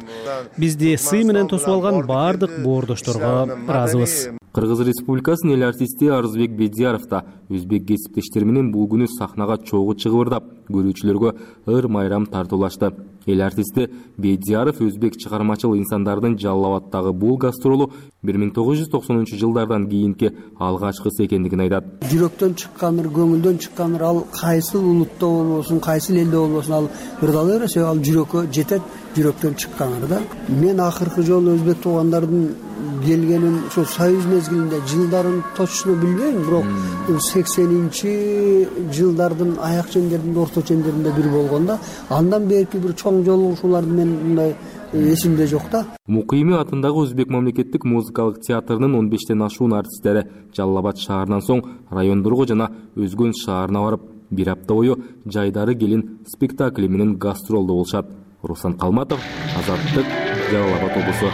Бизди сый менен тосуп алган баардык боордошторго ыраазыбыз. Кыргыз Республикасынын эл артисти Арызбек Бедияров да өзбек кесиптештери менен бул күнү сахнага чогуу чыгып, көрүүчүлөргө ыр майрам тартуулашты. Эл артисти Бедияров өзбек чыгармачыл инсандардын Жалал Абадтагы бул гастролу бир миң тогуз жүз токсонунчу жылдардан кийинки алгачкысы экендигин айтат. Жүрөктөн чыккандыр, көңүлдөн чыккандыр, ал кайсы улутта болбосун, кайсы элде болбосун, ал ырдала берсе, ал жүрөккө жетет, жүрөктөн чыккандыр да. Мен акыркы жолу өзбек туугандардын келгенин ошо союз мезгилинде жылдарын точно билбейм, бирок сексенинчи жылдардын аяк чендеринде, орто чендеринде бир болгондо, андан берки бир чоң жолугушууларды мен мындай эсимде жок да. Мукими атындагы өзбек мамлекеттик музыкалык театрынын он бештен ашуун артисттери Жалал Абад шаарынан соң райондорго жана Өзгөн шаарына барып, бир апта бою жайдары келин спектакли менен гастролдо болушат. Руслан Калматов, Азаттык, Жалал Абад облусу.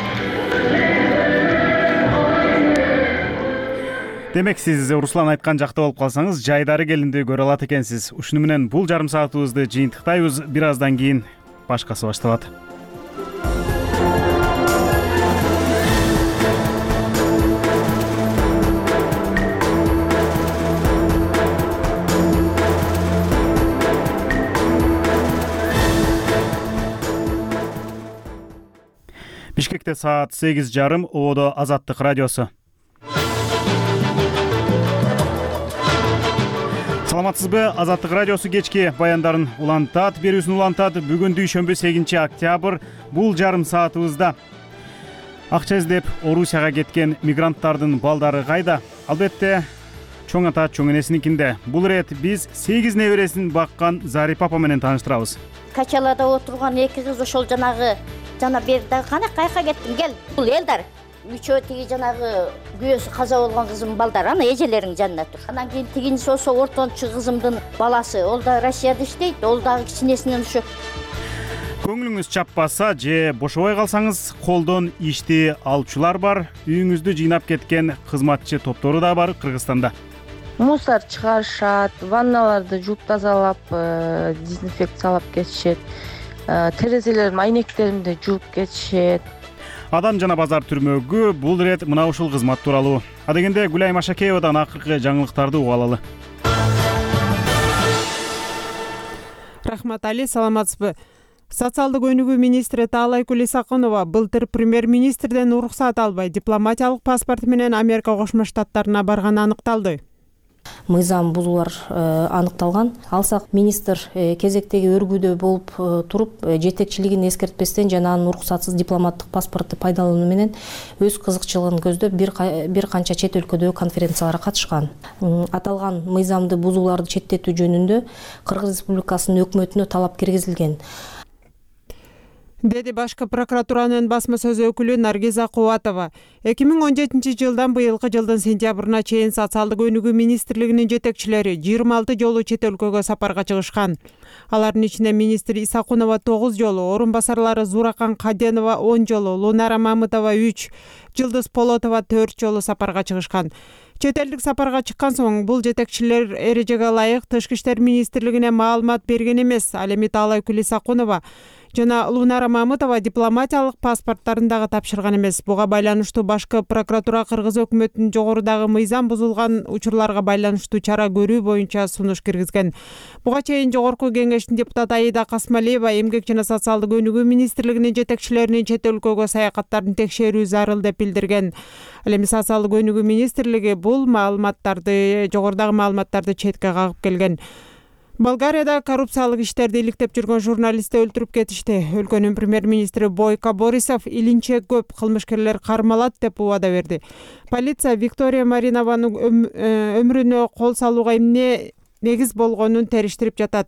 Демек, сиз Руслан айткан жакта болуп калсаңыз, жайдары келинди көрө алат экенсиз. Ушуну менен бул жарым саатыбызды жыйынтыктайбыз. Бир аздан кийин башкасы башталат. Бишкекте саат сегиз жарым, ободо Азаттык радиосу. Саламатсызбы? Азаттык радиосу кечки баяндарын улантат, берүүсүн улантат. Бүгүн дүйшөмбү сегизинчи октябрь, бул жарым саатыбызда. Акча издеп Орусияга кеткен мигранттардын балдары кайда? Албетте, чоң ата чоң энесиникинде. Бул ирет биз сегиз небересин баккан Зарипа апа менен тааныштырабыз. Качалада отурган эки кыз ошол жанагы жана берди. Кана кайка кеттиң? Кел. Бул Элдар. Үчөө тиги жанагы күйөөсү каза болгон кызым балдар, ана эжелеринин жанында тур. Анан кийин тигинчи ошо ортончу кызымдын баласы, ол да Россияда иштейт, ол дагы кичинесинен ушу. Көңүлүңүз чаппаса же бошобой калсаңыз, колдон ишти алчулар бар. Үйүңүздү жыйнап кеткен кызматчы топтору да бар Кыргызстанда. Мусор чыгарышат, ванналарды жууп тазалап, дезинфекциялап кетишет. Терезелердин айнектерин да жууп кетишет. Адам жана базар түрмөгү бул ирет мына ушул кызмат тууралуу. Адегенде Гүлай Машакеевадан акыркы жаңылыктарды угуп алалы. Рахмат Али, саламатсызбы? Социалдык өнүгүү министри Таалайкүл Исакунова былтыр премьер-министрден уруксат албай дипломатиялык паспорт менен Америка Кошмо Штаттарына барганы аныкталды. Мыйзам бузуулар аныкталган. Алсак министр кезектеги өргүүдө болуп туруп, жетекчилигин эскертпестен жана анын уруксатсыз дипломаттык паспорту пайдалануу менен өз кызыкчылыгын көздөп бир канча чет өлкөдөгү конференцияларга катышкан. Аталган мыйзамды бузууларды четтетүү жөнүндө Кыргыз Республикасынын өкмөтүнө талап киргизилген, деди башкы прокуратуранын басма сөз өкүлү Наргиза Кубатова. эки миң он жетинчи жылдан быйылкы жылдын сентябрына чейин социалдык өнүгүү министрлигинин жетекчилери жыйырма алты жолу чет өлкөгө сапарга чыгышкан. Алардын ичинде министр Исакунова тогуз жолу, орун басарлары Зуракан Каденова он жолу, Лунара Мамытова үч, Жылдыз Полотова төрт жолу сапарга чыгышкан. Чет элдик сапарга чыккан соң бул жетекчилер эрежеге ылайык Тышкы иштер министрлигине маалымат берген эмес. Ал эми Таалайкүл Исакунова жана Лунара Мамытова дипломатиялык паспорттарын дагы тапшырган эмес. Буга байланыштуу башкы прокуратура Кыргыз өкмөтүнүн жогорудагы мыйзам бузулган учурларга байланыштуу чара көрүү боюнча сунуш киргизген. Буга чейин жогорку кеңештин депутаты Аида Касмалиева эмгек жана социалдык өнүгүү министрлигинин жетекчилеринин чет өлкөгө саякаттарын текшерүү зарыл деп билдирген. Ал эми социалдык өнүгүү министрлиги бул маалыматтарды, жогорудагы маалыматтарды четке кагып келген. Болгарияда коррупциялык иштерди иликтеп жүргөн журналистти өлтүрүп кетишти. Өлкөнүн премьер-министри Бойко Борисов илинче көп кылмышкерлер кармалат деп убада берди. Полиция Виктория Маринованын өмүрүнө кол салууга эмне негиз болгонун териштирип жатат.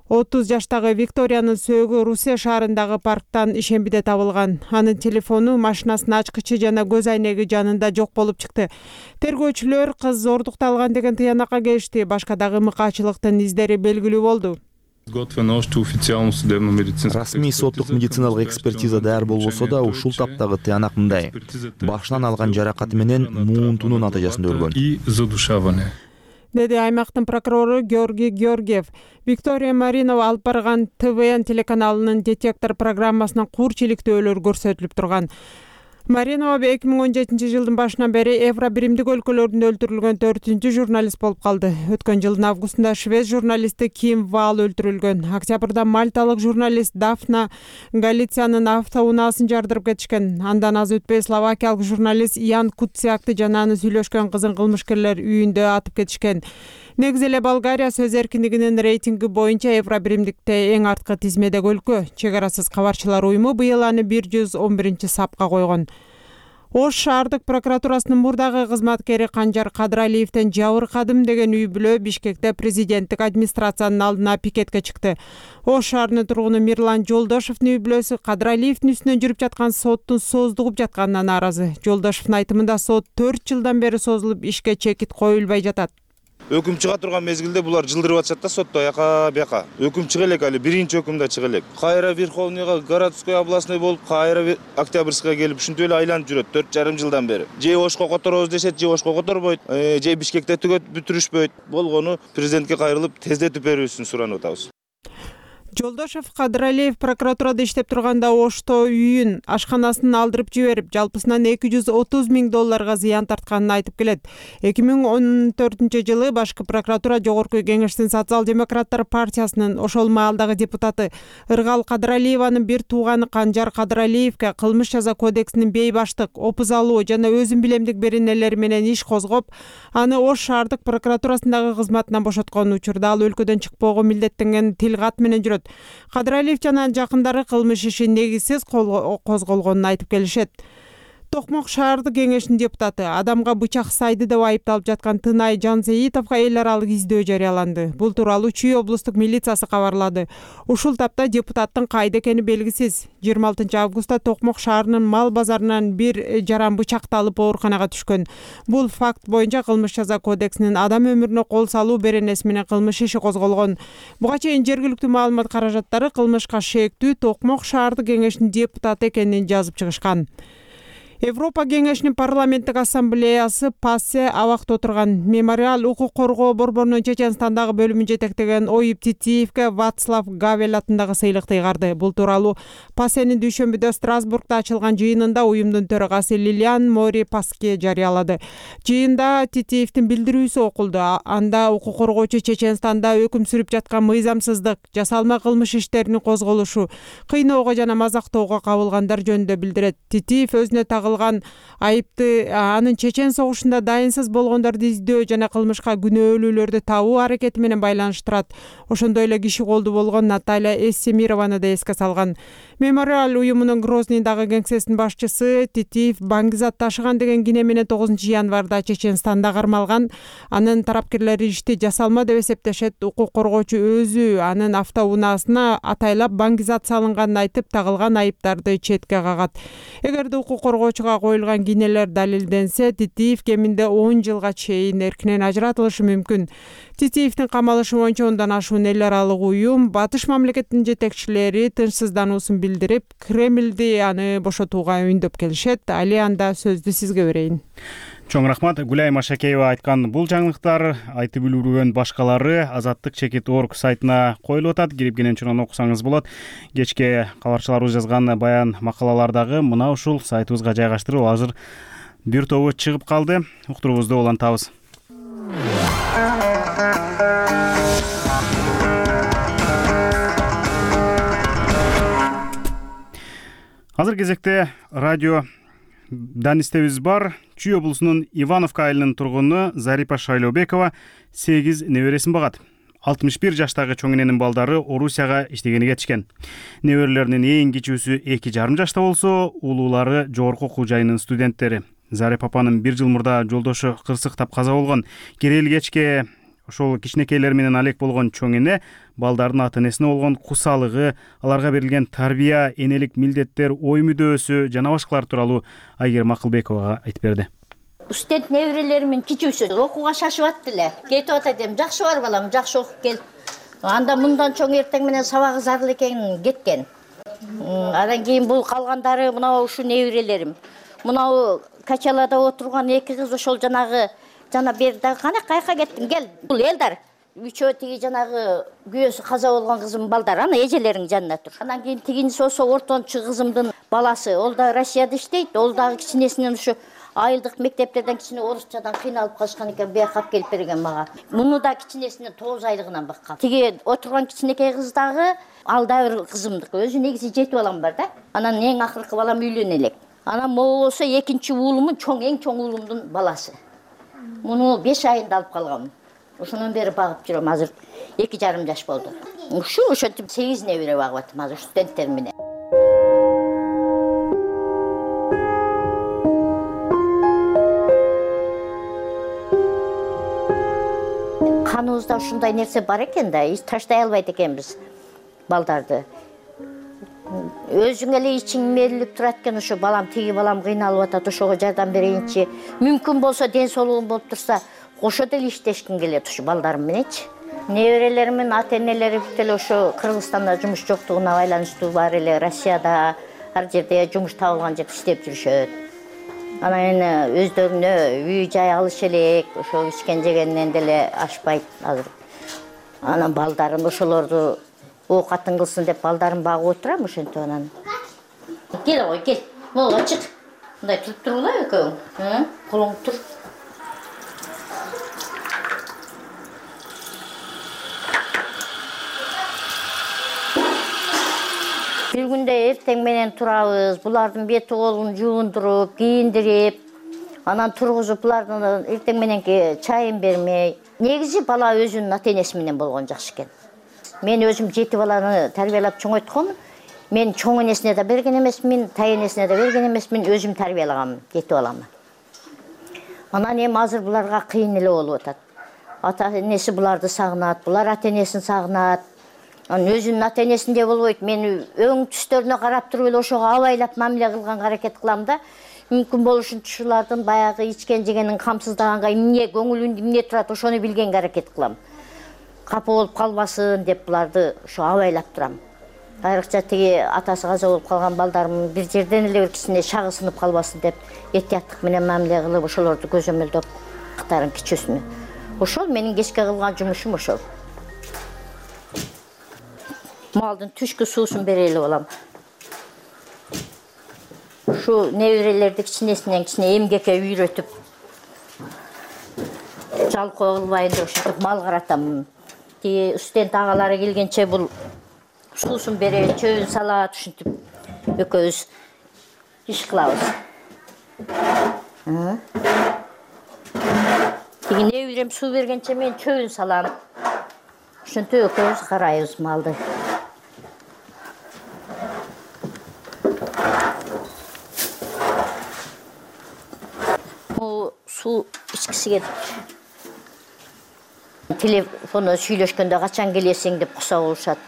отуз жаштагы Викториянын сөөгү Русия шаарындагы парктан ишембиде табылган. Анын телефону, машинасынын ачкычы жана көз айнеги жанында жок болуп чыкты. Тергөөчүлөр кыз зордукталган деген тыянакка келишти. Башка дагы мыкаачылыктын издери белгилүү болду. Расмий соттук медициналык экспертиза даяр болбосо да, ушул таптагы тыянак мындай: башынан алган жаракаты менен муунтунун натыйжасында өлгөн, деди аймактын прокурору Георгий Георгиев. Виктория Маринова алып барган Т В Н телеканалынын детектор программасынан кур чиликтөөлөр көрсөтүлүп турган. Маринова эки миң он жетинчи жылдын башынан бери Евро биримдик өлкөлөрүндө өлтүрүлгөн төртүнчү журналист болуп калды. Өткөн жылдын августунда швед журналисти Ким Вал өлтүрүлгөн. Октябрда мальталык журналист Дафна Галициянын автоунаасын жардырып кетишкен. Андан аз өтпөй словакиялык журналист Ян Куцякты жана аны сүйлөшкөн кызын кылмышкерлер үйүндө атып кетишкен. Негизи эле Болгария сөз эркиндигинин рейтинги боюнча Евро биримдикте эң арткы тизмедеги өлкө. Чек арасыз кабарчылар уюму быйыл аны бир жүз он биринчи сапка койгон. Ош шаардык прокуратурасынын мурдагы кызматкери Канжар Кадыралиевден жабыркадым деген үй бүлө Бишкекте президенттик администрациянын алдына пикетке чыкты. Ош шаарынын тургуну Мирлан Жолдошевдун үй бүлөсү Кадыралиевдин үстүнөн жүрүп жаткан соттун сооздугуп жатканына нааразы. Жолдошевдун айтымында сот төрт жылдан бери созулуп, ишке чекит коюлбай жатат. Өкүм чыга турган мезгилде булар жылдырып атышат да сотто аяка бияка. Өкүм чыга элек, али биринчи өкүмдө чыга элек. Кайра Верховныйга, городской областной болуп, кайра Октябрьская келип, ушинтип эле айланып жүрөт төрт жарым жылдан бери. Же Ошко которобуз дешет, же Ошко которбойт, же Бишкекте түгөт бүтүрүшпөйт. Болгону президентке кайрылып тездетип берүүсүн суранып атабыз. Жолдошев Кадыралиев прокуратурада иштеп турганда Ошто үйүн, ашканасын алдырып жиберип, жалпысынан эки жүз отуз миң долларга зыян тартканын айтып келет. эки миң он төртүнчү жылы башкы прокуратура Жогорку Кеңештин Социал-демократтар партиясынын ошол маалдагы депутаты Ыргал Кадыралиеванын бир тууганы Канжар Кадыралиевке кылмыш жаза кодексинин бейбаштык, опуз алуу жана өзүн билемдик беренелери менен иш козгоп, аны Ош шаардык прокуратурасындагы кызматынан бошоткон учурда ал өлкөдөн чыкпоого милдеттенген тил кат менен жүрөт. Кадыралиев жана жакындары кылмыш иши негизсиз козголгонун айтып келишет. Токмок шаардык кеңешинин депутаты адамга бычак сайды деп айыпталып жаткан Тынай Жансейитовго эл аралык издөө жарыяланды. Бул тууралуу Чүй облустук милициясы кабарлады. Ушул тапта депутаттын кайда экени белгисиз. жыйырма алтынчы августта Токмок шаарынын мал базарынан бир жаран бычакталып ооруканага түшкөн. Бул факт боюнча кылмыш жаза кодексинин адам өмүрүнө кол салуу беренеси менен кылмыш иши козголгон. Буга чейин жергиликтүү маалымат каражаттары кылмышка шектүү Токмок шаардык кеңешинин депутаты экенин жазып чыгышкан. Европа кеңешинин парламенттик ассамблеясы ПАСЕ абакта отурган мемориал укук коргоо борборунун Чеченстандагы бөлүмүн жетектеген Оюп Титиевке Вацлав Гавел атындагы сыйлыкты ыйгарды. Бул тууралуу ПАСЕнин дүйшөмбүдө Страсбургда ачылган жыйынында уюмдун төрагасы Лилиан Мори Паске жарыялады. Жыйында Титиевдин билдирүүсү окулду. Анда укук коргоочу Чеченстанда өкүм сүрүп жаткан мыйзамсыздык, жасалма кылмыш иштеринин козголушу, кыйноого жана мазактоого кабылгандар жөнүндө билдирет. Титиев өзүнө тагылган айыпты анын Чечен согушунда дайынсыз болгондорду издөө жана кылмышка күнөөлүүлөрдү табуу аракети менен байланыштырат. Ошондой эле киши колду болгон Наталья Эссемированы да эске салган. Мемориал уюмунун Грозныйдагы кеңсесинин башчысы Титиев баңгизат ташыган деген кине менен тогузунчу январда Чеченстанда кармалган. Анын тарапкерлери ишти жасалма деп эсептешет. Укук коргоочу өзү анын автоунаасына атайлап баңгизат салынганын айтып, тагылган айыптарды четке кагат. Эгерде укук коргоочуга коюлган кинелер далилденсе, Титиев кеминде он жылга чейин эркинен ажыратылышы мүмкүн. Титиевдин камалышы боюнча ондан ашуун эл аралык уюм батыш мамлекетинин жетекчилери тынчсыздануусун билдирип, Кремлди аны бошотууга үндөп келишет. Али анда сөздү сизге берейин. Чоң рахмат. Гүлай Машакеева айткан бул жаңылыктар айтып үлгүргөн башкалары Азаттык чекит орг сайтына коюлуп атат. Кирип кенен окусаңыз болот. Кечке кабарчыларыбыз жазган баян макалалардагы мына ушул сайтыбызга жайгаштырып азыр бир тобу чыгып калды. Уктуруубузду улантабыз. Азыр кезекте радио данистебиз бар. Чүй облусунун Ивановка айылынын тургуну Зарипа Шайлообекова сегиз небересин багат. алтымыш бир жаштагы чоң эненин балдары Орусияга иштегени кетишкен. Неберелеринин эң кичүүсү эки жарым жашта болсо, улуулары жогорку окуу жайынын студенттери. Зарипа апанын бир жыл мурда жолдошу кырсыктап каза болгон. Керели кечке ошол кичинекейлер менен алек болгон чоң эне балдардын ата энесине болгон кусалыгы, аларга берилген тарбия, энелик милдеттер, ой мүдөөсү жана башкалар тууралуу Айгерим Акылбековага айтып берди. Студент неберелеримин кичүүсү окууга шашып атты эле. Кетип атат эми, жакшы бар балам, жакшы окуп кел. Анда мындан чоң эртең менен сабагы зарыл экенин кеткен. Андан кийин бул калгандары мына ушу неберелерим. Мына Качалада отурган эки кыз ошол жанагы жана берде кана кайка кеттиң кел. Бул элдар үчөө тиги жанагы күйөөсү каза болгон кызым балдар, ана эжелеринин жанында тур. Андан кийин тигинчиси болсо ортончу кызымдын баласы, ол да Россияда иштейт, ол дагы кичинесинен ушу айылдык мектептерден кичине орусчадан кыйналып калышкан экен, бияка алып келип берген мага. Муну да кичинесинен тогуз айлыгынан баккан. Тиги отурган кичинекей кыз дагы ал да бир кызымдык. Өзү негизи жети балам бар да. Анан эң акыркы балам үйлөнө элек. Анан могу болсо экинчи уулумун чоң эң чоң уулумдун баласы. Муну беш айында алып калгам. Ошондон бери багып жүрөм. Азыр эки жарым жаш болду. Ушу ошентип сегиз небере багып атам азыр студенттер менен. Каныбызда ушундай нерсе бар экен да, эч таштай албайт экенбиз балдарды. Өзүң эле ичиң мээрилип турат экен, ошо балам тиги балам кыйналып атат, ошого жардам берейинчи. Мүмкүн болсо ден соолугум болуп турса, кошо деле иштешким келет ушу балдарым мененчи. Неберелеримин ата-энелери бүт ошо Кыргызстанда жумуш жоктугуна байланыштуу бар эле, Россияда ар жерде жумуш табылган жерде иштеп жүрүшөт. Анан эми өздөрүнө үй жай алыш элек, ошо ичкен жегенинен деле ашпайт азыр. Анан балдарын ошолорду оокатын кылсын деп балдарын багып отурам, ошентип анан. Кел ой, кел. Могу чык. Мындай туруп тургула экөөң. Колуң тур. Бир күндө эртең менен турабыз, булардын бети колун жуундуруп, кийиндирип, анан тургузуп, булардын эртең мененки чайын бермей. Негизи бала өзүнүн ата-энеси менен болгон жакшы экен. Мен өзүм жети баланы тарбиялап чоңойтком. Мен чоң энесине да берген эмесмин, тай энесине да берген эмесмин, өзүм тарбиялаганмын жети баламды. Анан эми азыр буларга кыйын эле болуп атат. Ата-энеси буларды сагынат, булар ата-энесин сагынат. Анан өзүнүн ата-энесинде болбойт. Мен өң түстөрүнө карап туруп эле ошого абайлап мамиле кылганга аракет кылам да. Мүмкүн болушунча ушулардын баягы ичкен жегенин камсыздаганга эмне көңүлүндө эмне турат, ошону билгенге аракет кылам. Капа болуп калбасын деп буларды ошо абайлап турам. Айрыкча тиги атасы каза болуп калган балдарымдын бир жерден эле бир кичине шагы сынып калбасын деп этияттык менен мамиле кылып ошолорду көзөмөлдөп актарын кичүүсүнө. Ошол менин кечке кылган жумушум ошол. Малдын түшкү суусун бере эле болом. Ушу неберелерди кичинесинен кичине эмгекке үйрөтүп, жалкоо кылбайын деп ошентип мал каратам. Тиги студент агалары келгенче бул суусун берет, чөбүн салат, ушинтип экөөбүз иш кылабыз. Тиги неберем суу бергенче мен чөбүн салам. Ушинтип экөөбүз карайбыз малды. Суу ичкиси келип. Телефондо сүйлөшкөндө качан келесиң деп куса болушат.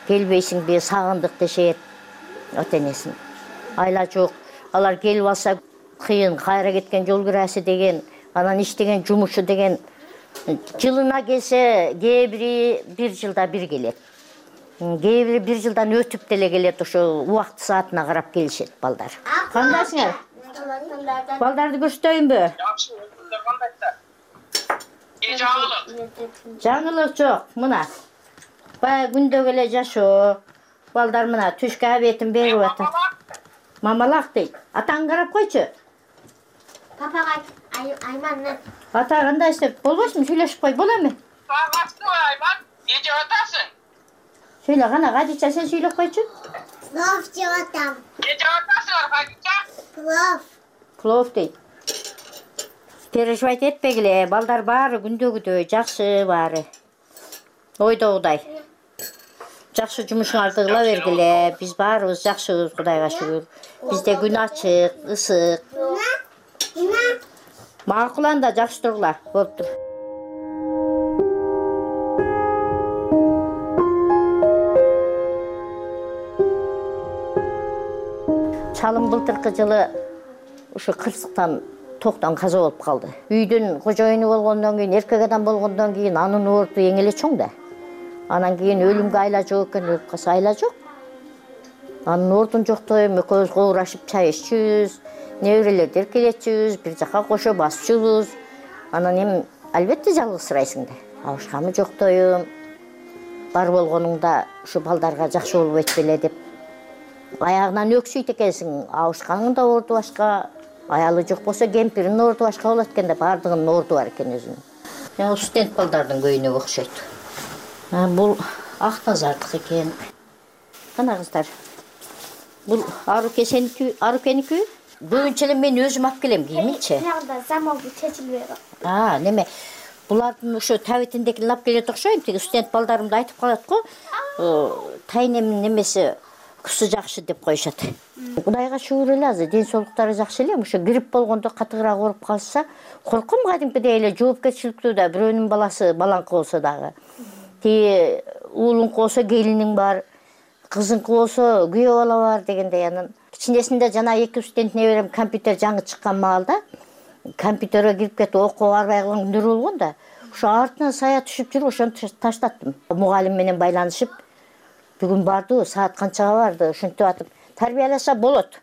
Келбейсиңби, сагындык дешет ата-энесин. Айла жок. Алар келип алса кыйын, кайра кеткен жол кирасы деген, анан иштеген жумушу деген жылына келсе, кээ бири бир жылда бир келет. Кээ бири бир жылдан өтүп деле келет, ошо убакыт саатына карап келишет балдар. Кандайсыңар? Балдарды көрсөтөйүнбү? Жакшы, өзүңөр кандайсыздар? Э, жаңылык. Жаңылык жок, мына. Баягы күндөгү эле жашоо. Балдар мына түшкө абетин берип атат. Мамалак дейт. Атаң карап койчу. Папага Айман. Ата кандай иштеп болбойсуңбу? Сүйлөшүп кой, боло эми? Саламатсызбы, Айман? Не жеп атасың? Сүйлө гана, Гадича, сен сүйлөп койчу. Плов жеп атам. Не жеп атасыңар, Гадича? Плов. Плов дейт. Переживать этпегиле, балдар баары күндөгүдөй, жакшы баары. Ойдогудай. Жакшы жумушуңарды кыла бергиле, биз баарыбыз жакшыбыз, Кудайга шүгүр. Бизде күн ачык, ысык. Макул анда, жакшы тургула, болуптур. Чалым былтыркы жылы ушу кырсыктан токтон каза болуп калды. Үйдүн кожоюну болгондон кийин, эркек адам болгондон кийин анын орду эң эле чоң да. Анан кийин өлүмгө айла жок экен, өлүп калса айла жок. Анын ордун жоктойм, экөөбүз коурашып чай иччүбүз, неберелерди эркелетчүбүз, бир жака кошо басчубуз. Анан эми албетте жалгызсырайсың да. Абышкамы жоктойм. Бар болгонуңда ушу балдарга жакшы болбойт беле деп. Аягынан өксүйт экенсиң, абышканын да орду башка, аялы жок болсо кемпиринин орду башка болот экен да, баардыгынын орду бар экен өзүнүн. Мен студент балдардын көйүнө окшойт. Бул Актазардык экен. Кана кыздар. Бул Аруке сеники, Арукеники? Көбүнчө эле мен өзүм алып келем кийиминчи. Жагда заманбы чечилбей. А, неме? Булардын ошо табитиндекин алып келет окшойм. Тиги студент балдарымды айтып калат го. Тайнемдин немеси кысы жакшы деп коюшат. Кудайга шүгүр эле азыр ден соолуктары жакшы эле. Ошо грипп болгондо катыгыраак ооруп калса, корком кадимкидей эле жоопкерчиликтүү да, бирөөнүн баласы балаңкы болсо дагы. Тиги уулуңку болсо келиниң бар, кызыңкы болсо күйөө бала бар дегендей. Анан кичинесинде жана эки студент неберем компьютер жаңы чыккан маалда компьютерге кирип кетип окууга барбай калган күндөр болгон да. Ошо артынан сая түшүп жүрүп ошону таштаттым. Мугалим менен байланышып бүгүн барды, саат канчага барды, ушинтип атып тарбияласа болот.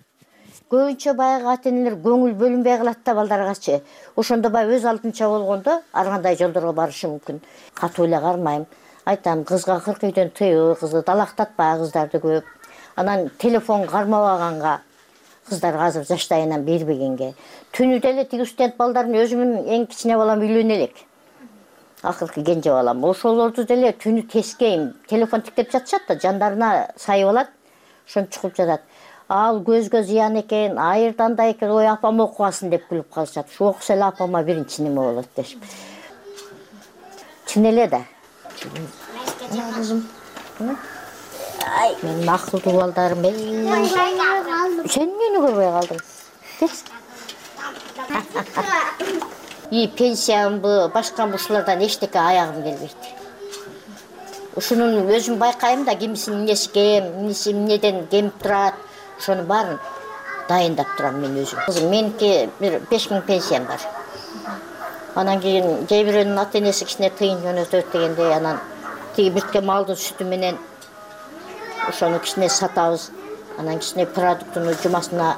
Көбүнчө баягы ата-энелер көңүл бөлүнбөй калат да балдаргачы. Ошондо баягы өз алдынча болгондо ар кандай жолдорго барышы мүмкүн. Катуу эле кармайм. Айтам, кызга кырк үйдөн тыйыл, кызды далактатпа, кыздарды көп. Анан телефон кармабаганга, кыздарга азыр жаштайынан бербегенге. Түнү деле тиги студент балдардын өзүмүн эң кичине балам үйлөнө элек. Акыркы кенже балам. Ошолорду деле түнү тескейм. Телефон тиктеп жатышат да, жандарына сайып алат. Ошон чукуп жатат. Ал көзгө зыян экен, айырдан да экен, ой апам окубасын деп күлүп калышат. Шу окуса эле апама биринчи неме болот дешип. Чын эле да. Кызым. Ай, менин акылдуу балдарым. Сен эмне көрбөй калдың? Кетчи. И пенсиямбы, башка ушулардан эчтеке аягым келбейт. Ушунун өзүм байкайм да, кимисинин эмнеси кем, эмнеси эмнеден кемип турат. Ошону баарын дайындап турам мен өзүм. Кызым, меники бир беш миң пенсиям бар. Анан кийин кээ бирөөнүн ата энеси кичине тыйын жөнөтөт дегенде, анан тиги биртке малдын сүтү менен ошону кичине сатабыз. Анан кичине продуктуну жумасына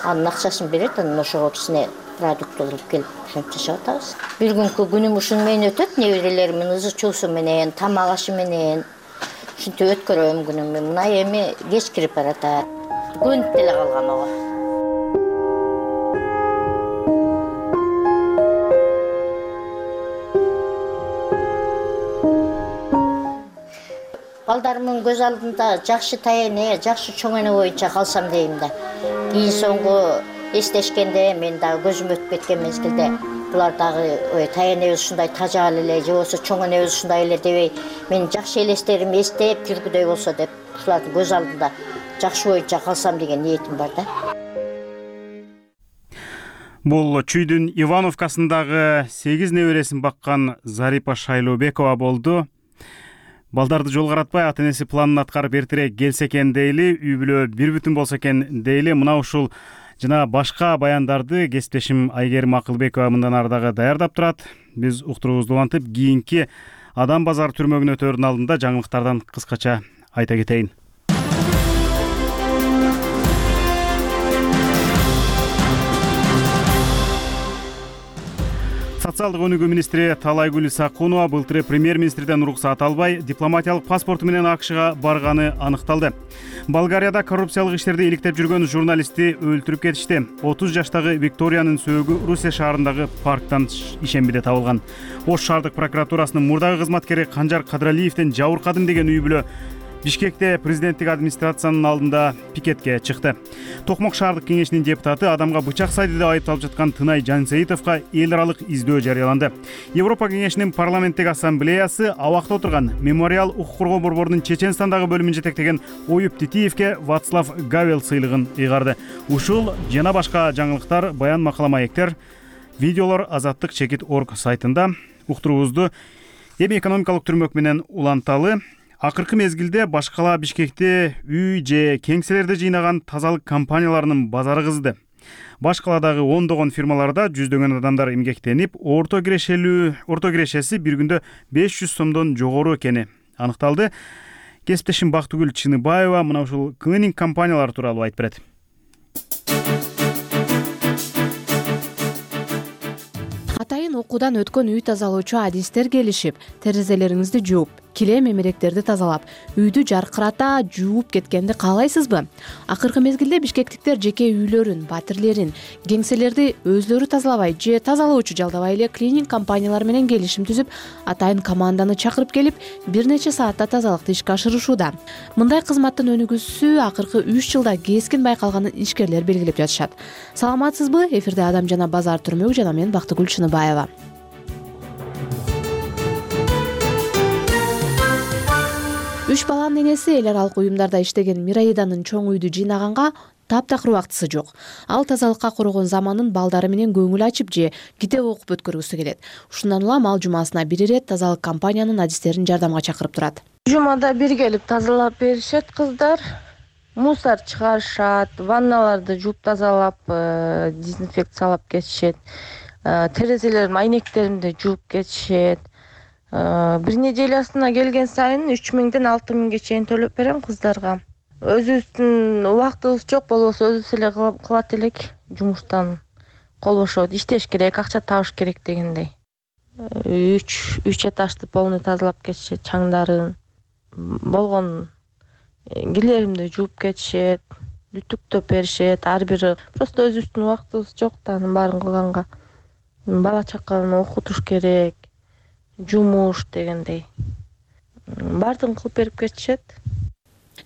анын акчасын берет, анан ошого кичине продукт алып келип ошентип жашап атабыз. Бир күнкү күнүм ушуну менен өтөт, неберелеримдин ызы чуусу менен, тамак ашы менен. Ушинтип өткөрөм күнүмдү. Мына эми кеч кирип баратат. Көнүп деле калган ого. Балдарымдын көз алдында жакшы таяне, жакшы чоң эне боюнча калсам дейм да. Кийин соңку эстешкенде мен дагы көзүм өтүп кеткен мезгилде булар дагы ой таянебиз ушундай тажал эле, же болбосо чоң энебиз ушундай эле дебей, мен жакшы элестерим эстеп жүргүдөй болсо деп, ушулардын көз алдында жакшы боюнча калсам деген ниетим бар да. Бул Чүйдүн Ивановкасындагы сегиз небересин баккан Зарипа Шайлообекова болду. Балдарды жол каратпай, ата энеси планын аткарып эртерээк келсе экен дейли, үй бүлө бир бүтүн болсо экен дейли. Мына ушул жана башка баяндарды кесиптешим Айгерим Акылбекова мындан ары дагы даярдап турат. Биз уктуруубузду улантып, кийинки Адам базар түрмөгүнө өтөөрдүн алдында жаңылыктардан кыскача айта кетейин. Социалдык өнүгүү министри Талайгүл Исакунова былтыр премьер-министрден уруксат албай дипломатиялык паспорту менен АКШга барганы аныкталды. Болгарияда коррупциялык иштерди иликтеп жүргөн журналистти өлтүрүп кетишти. отуз жаштагы Викториянын сөөгү Руссия шаарындагы парктан ишембиде табылган. Ош шаардык прокуратурасынын мурдагы кызматкери Канжар Кадралиевден жабыркадым деген үй бүлө Бишкекте президенттик администрациянын алдында пикетке чыкты. Токмок шаардык кеңешинин депутаты адамга бычак сайды деп айыпталып жаткан Тынай Жансейитовго эл аралык издөө жарыяланды. Европа кеңешинин парламенттик ассамблеясы абакта отурган Мемориал укук коргоо борборунун Чеченстандагы бөлүмүн жетектеген Оюп Титиевке Вацлав Гавел сыйлыгын ыйгарды. Ушул жана башка жаңылыктар, баян, макала, маектер, видеолор Азаттык чекит точка орг сайтында. Уктуруубузду эми экономикалык түрмөк менен уланталы. Акыркы мезгилде башкала Бишкекте үй же кеңселерди жыйнаган тазалык компанияларынын базары кызды. Башкаладагы ондогон фирмаларда жүздөгөн адамдар эмгектенип, орто кирешелүү, орто кирешеси бир күндө беш жүз сомдон жогору экени аныкталды. Кесиптешим Бактыгүл Чыныбаева мына ушул клининг компаниялар тууралуу айтып берет. Атайын окуудан өткөн үй тазалоочу адистер келишип, терезелериңизди жууп, килем эмеректерди тазалап, үйдү жаркырата жууп кеткенди каалайсызбы? Акыркы мезгилде бишкектиктер жеке үйлөрүн, батирлерин, кеңселерди өзлөрү тазалабай же тазалоочу жалдабай эле клининг компаниялар менен келишим түзүп, атайын команданы чакырып келип, бир нече саатта тазалыкты ишке ашырышууда. Мындай кызматтын өнүгүүсү акыркы үч жылда кескин байкалганын ишкерлер белгилеп жатышат. Саламатсызбы? Эфирде Адам жана базар түрмөгү жана мен Бактыгүл Чыныбаева. Үч баланын энеси эл аралык уюмдарда иштеген Мираиданын чоң үйдү жыйнаганга таптакыр убактысы жок. Ал тазалыкка коргон заманын балдары менен көңүл ачып же китеп окуп өткөргүсү келет. Ушундан улам ал жумасына бир ирет тазалык компаниянын адистерин жардамга чакырып турат. Жумада бир келип тазалап беришет кыздар. Мусор чыгарышат, ванналарды жууп тазалап, дезинфекциялап кетишет. Терезелердин айнектеринди жууп кетишет. Бир неделясына келген сайын үч миңден алты миңге чейин төлөп берем кыздарга. Өзүбүздүн убактыбыз жок болбосо өзүбүз эле кылат элек, жумуштан кол бошот, иштеш керек, акча табыш керек дегендей. үч үч этажды полный тазалап кетишет, чаңдарын. Болгон кийлеримди жууп кетишет, үтүктөп беришет. Ар бири просто өзүбүздүн убактыбыз жок да анын баарын кылганга. Бала чаканы окутуш керек, жумуш дегендей. Баардыгын кылып берип кетишет.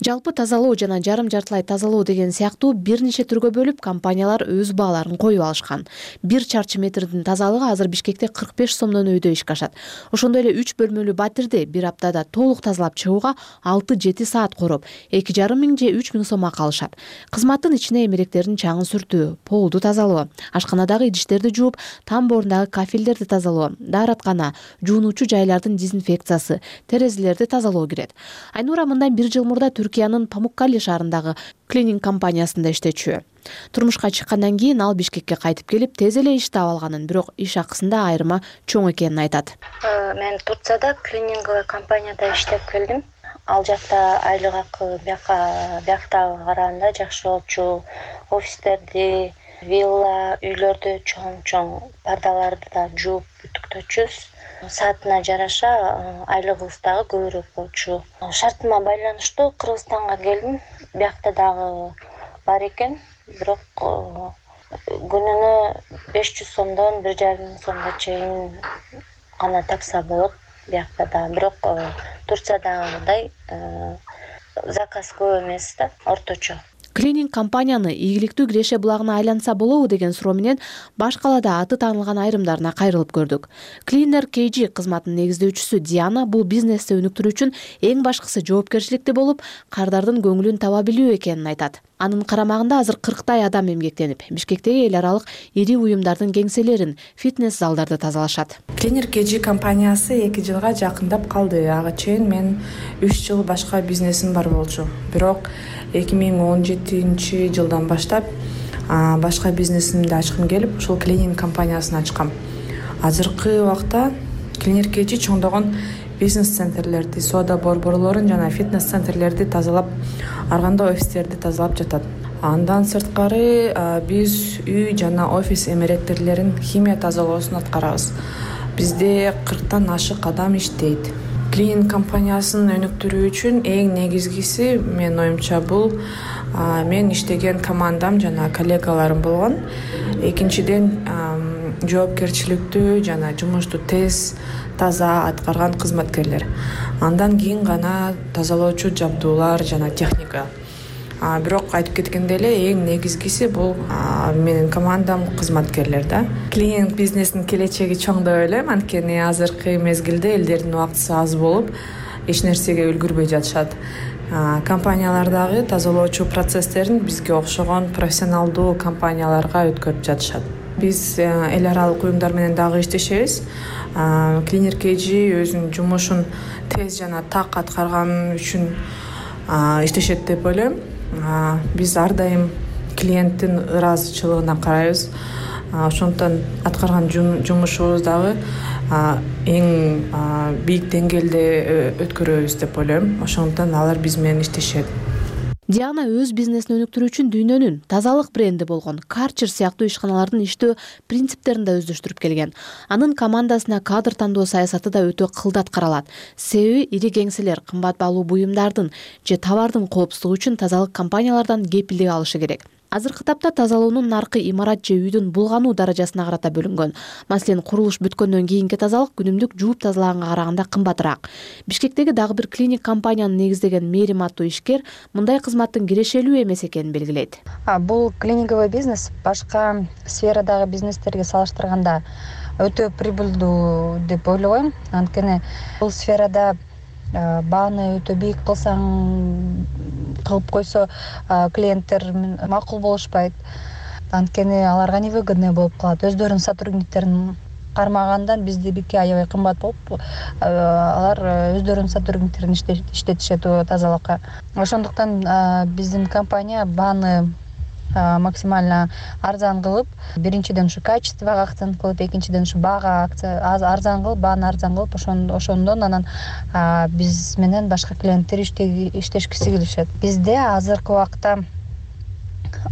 Жалпы тазалоо жана жарым жартылай тазалоо деген сыяктуу бир нече түргө бөлүп компаниялар өз бааларын коюп алышкан. Бир чарчы метрдин тазалыгы азыр Бишкекте кырк беш сомдон өйдө ишке ашат. Ошондой эле үч бөлмөлүү батирди бир аптада толук тазалап чыгууга алты жети саат короп, эки жарым миң же үч миң сом акы алышат. Кызматтын ичине эмеректердин чаңын сүртүү, полду тазалоо, ашканадагы идиштерди жууп, тамбоорундагы кафелдерди тазалоо, даараткана, жуунуучу жайлардын дезинфекциясы, терезелерди тазалоо кирет. Айнура мындан бир жыл мурда Түркиянын Памуккале шаарындагы клининг компаниясында иштечү. Турмушка чыккандан кийин ал Бишкекке кайтып келип, тез эле иш таап алганын, бирок иш акысында айырма чоң экенин айтат. Мен Турцияда клининговый компанияда иштеп келдим. Ал жакта айлык акы бияка бияктагы караганда жакшы болчу. Офистерди, вилла, үйлөрдү чоң-чоң пардаларды да жууп бүтүктөчүбүз. Саатына жараша айлыгыбыз дагы көбүрөөк болчу. Шартыма байланыштуу Кыргызстанга келдим. Биякта дагы бар экен, бирок күнүнө беш жүз сомдон бир жарым миң сомго чейин гана такса болот биякта да. Бирок Турциядагыдай заказ көп эмес да, орточо. Клининг компанияны ийгиликтүү киреше булагына айланса болобу деген суроо менен баш калаада аты таанылган айрымдарына кайрылып көрдүк. Cleaner кей джи кызматынын негиздөөчүсү Диана бул бизнести өнүктүрүү үчүн эң башкысы жоопкерчиликти болуп, кардардын көңүлүн таба билүү экенин айтат. Анын карамагында азыр кырктай адам эмгектенип, Бишкектеги эл аралык ири уюмдардын кеңселерин, фитнес залдарды тазалашат. Cleaner кей джи компаниясы эки жылга жакындап калды. Ага чейин мен үч жыл башка бизнесим бар болчу. Бирок эки миң он жетинчи жылдан баштап башка бизнесимди ачкым келип, ушул клининг компаниясын ачкам. Азыркы убакта Cleaner кей джи чоңдогон бизнес-центрлерди, соода борборлорун жана фитнес-центрлерди тазалап, арганда офистерди тазалап жатат. Андан сырткары биз үй жана офис эмеректерилерин химия тазалоосун аткарабыз. Бизде кырктан ашык адам иштейт. Клининг компаниясын өнүктүрүү үчүн эң негизгиси менин оюмча бул мен иштеген командам жана коллегаларым болгон. Экинчиден жоопкерчиликтүү жана жумушту тез, таза аткарган кызматкерлер. Андан кийин гана тазалоочу жабдуулар жана техника. Бирок айтып кеткендей эле эң негизгиси бул менин командам, кызматкерлер да. Клининг бизнесинин келечеги чоң деп ойлойм, анткени азыркы мезгилде элдердин убактысы аз болуп, эч нерсеге үлгүрбөй жатышат. Компаниялардагы тазалоочу процесстерин бизге окшогон профессионалдуу компанияларга өткөрүп жатышат. Биз эл аралык уюмдар менен дагы иштешебиз. Cleaner кей джи өзүнүн жумушун тез жана так аткарган үчүн иштешет деп ойлойм. Биз ар дайым клиенттин ыраазычылыгына карайбыз. Ошондон аткарган жумушубуз дагы эң бийик деңгээлде өткөрөбүз деп ойлойм. Ошондон алар биз менен иштешет. Диана өз бизнесин өнүктүрүү үчүн дүйнөнүн тазалык бренди болгон Karcher сыяктуу ишканалардын иштөө принциптерин да өздөштүрүп келген. Анын командасына кадр тандоо саясаты да өтө кылдат каралат. Себеби ири кеңселер кымбат баалуу буюмдардын же товардын коопсуздугу үчүн тазалык компаниялардан кепилдик алышы керек. Азыркы тапта тазалоонун наркы имарат же үйдүн булгануу даражасына карата бөлүнгөн. Маселен, курулуш бүткөндөн кийинки тазалык күнүмдүк жууп тазалаганга караганда кымбатыраак. Бишкектеги дагы бир клиник компанияны негиздеген Мерим аттуу ишкер мындай кызматтын кирешелүү эмес экенин белгилейт. Бул клиниковый бизнес башка сферадагы бизнестерге салыштырганда өтө прибыльдүү деп ойлойм. Анткени бул сферада бааны өтө бийик кылсаң, кылып койсо клиенттер макул болушпайт. Анткени аларга невыгодный болуп калат. Өздөрүнүн сотрудниктерин кармагандан биздики аябай кымбат болуп, алар өздөрүнүн сотрудниктерин иштетишет тазалыкка. Ошондуктан биздин компания бааны максимально арзан кылып, биринчиден ушу качествого акцент кылып, экинчиден ушу баага арзан кылып, бааны арзан кылып, ошондон анан биз менен башка клиенттер иштешкиси келишет. Бизде азыркы убакта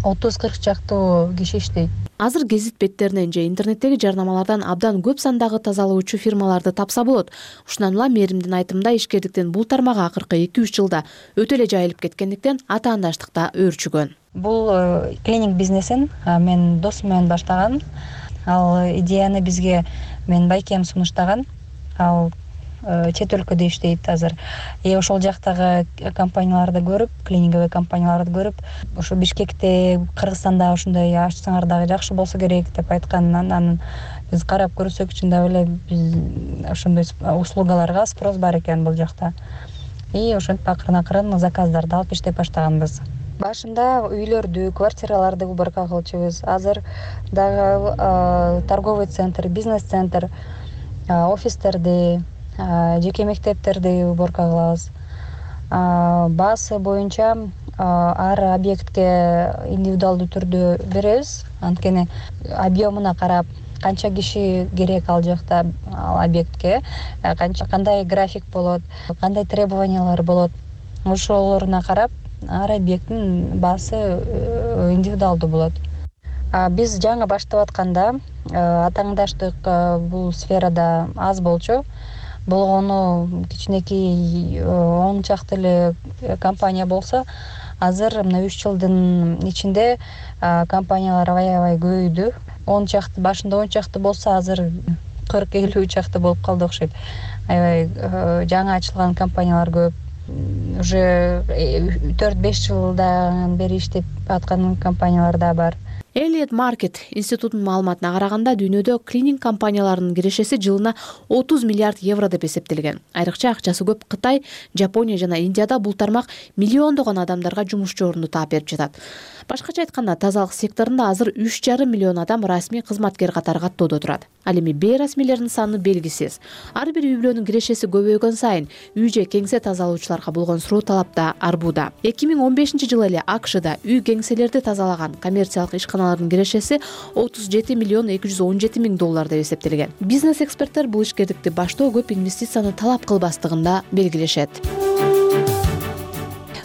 отуз кырк чактуу киши иштейт. Азыр гезит беттеринен же интернеттеги жарнамалардан абдан көп сандагы тазалоочу фирмаларды тапса болот. Ушундан улам мэримдин айтымында ишкердиктин бул тармагы акыркы эки үч жылда өтө эле жайылып кеткендиктен атаандаштыкта өөрчүгөн. Бул клининг бизнесин мен досум менен баштагам. Ал идеяны бизге менин байкем сунуштаган. Ал чет өлкөдө иштейт азыр. И ошол жактагы компанияларды көрүп, клининговый компанияларды көрүп, ошо Бишкекте, Кыргызстанда ошондой ачсаңар дагы жакшы болсо керек деп айтканынан анан биз карап көрсөк, чындап эле биз ошондой услугаларга спрос бар экен бул жакта. И ошентип акырын-акырын заказдарды алып иштеп баштаганбыз. Башында үйлөрдү, квартираларды уборка кылчубуз. Азыр дагы торговый центр, бизнес-центр, офистерди, жеке мектептерди уборка кылабыз. Баасы боюнча ар объектке индивидуалдуу түрдө беребиз. Анткени объемуна карап, канча киши керек ал жакта ал объектке, канча кандай график болот, кандай требованиялар болот. Ошолоруна карап ар объекттин баасы индивидуалдуу болот. Биз жаңы баштап атканда атаандаштык бул сферада аз болчу. Болгону кичинекей он чакты эле компания болсо, азыр мына үч жылдын ичинде компаниялар аябай көбөйдү. он чакты башында он чакты болсо, азыр кырк элүү чакты болуп калды окшойт. Аябай жаңы ачылган компаниялар көп. Уже төрт беш жылдан бери иштеп аткан компаниялар да бар. Elliott Market институтунун маалыматына караганда дүйнөдө клининг компанияларынын кирешеси жылына отуз миллиард евро деп эсептелген. Айрыкча акчасы көп Кытай, Жапония жана Индияда бул тармак миллиондогон адамдарга жумушчу орунду таап берип жатат. Башкача айтканда, тазалык секторунда азыр үч жарым миллион адам расмий кызматкер катары каттоодо турат. Ал эми бейрасмийлердин саны белгисиз. Ар бир үй бүлөнүн кирешеси көбөйгөн сайын үй же кеңсе тазалоочуларга болгон суроо талап да арбууда. эки миң он бешинчи жылы эле АКШда үй кеңселерди тазалаган коммерциялык ишканалардын кирешеси отуз жети миллион эки жүз он жети миң доллар деп эсептелген. Бизнес эксперттер бул ишкердикти баштоо көп инвестицияны талап кылбастыгында белгилешет.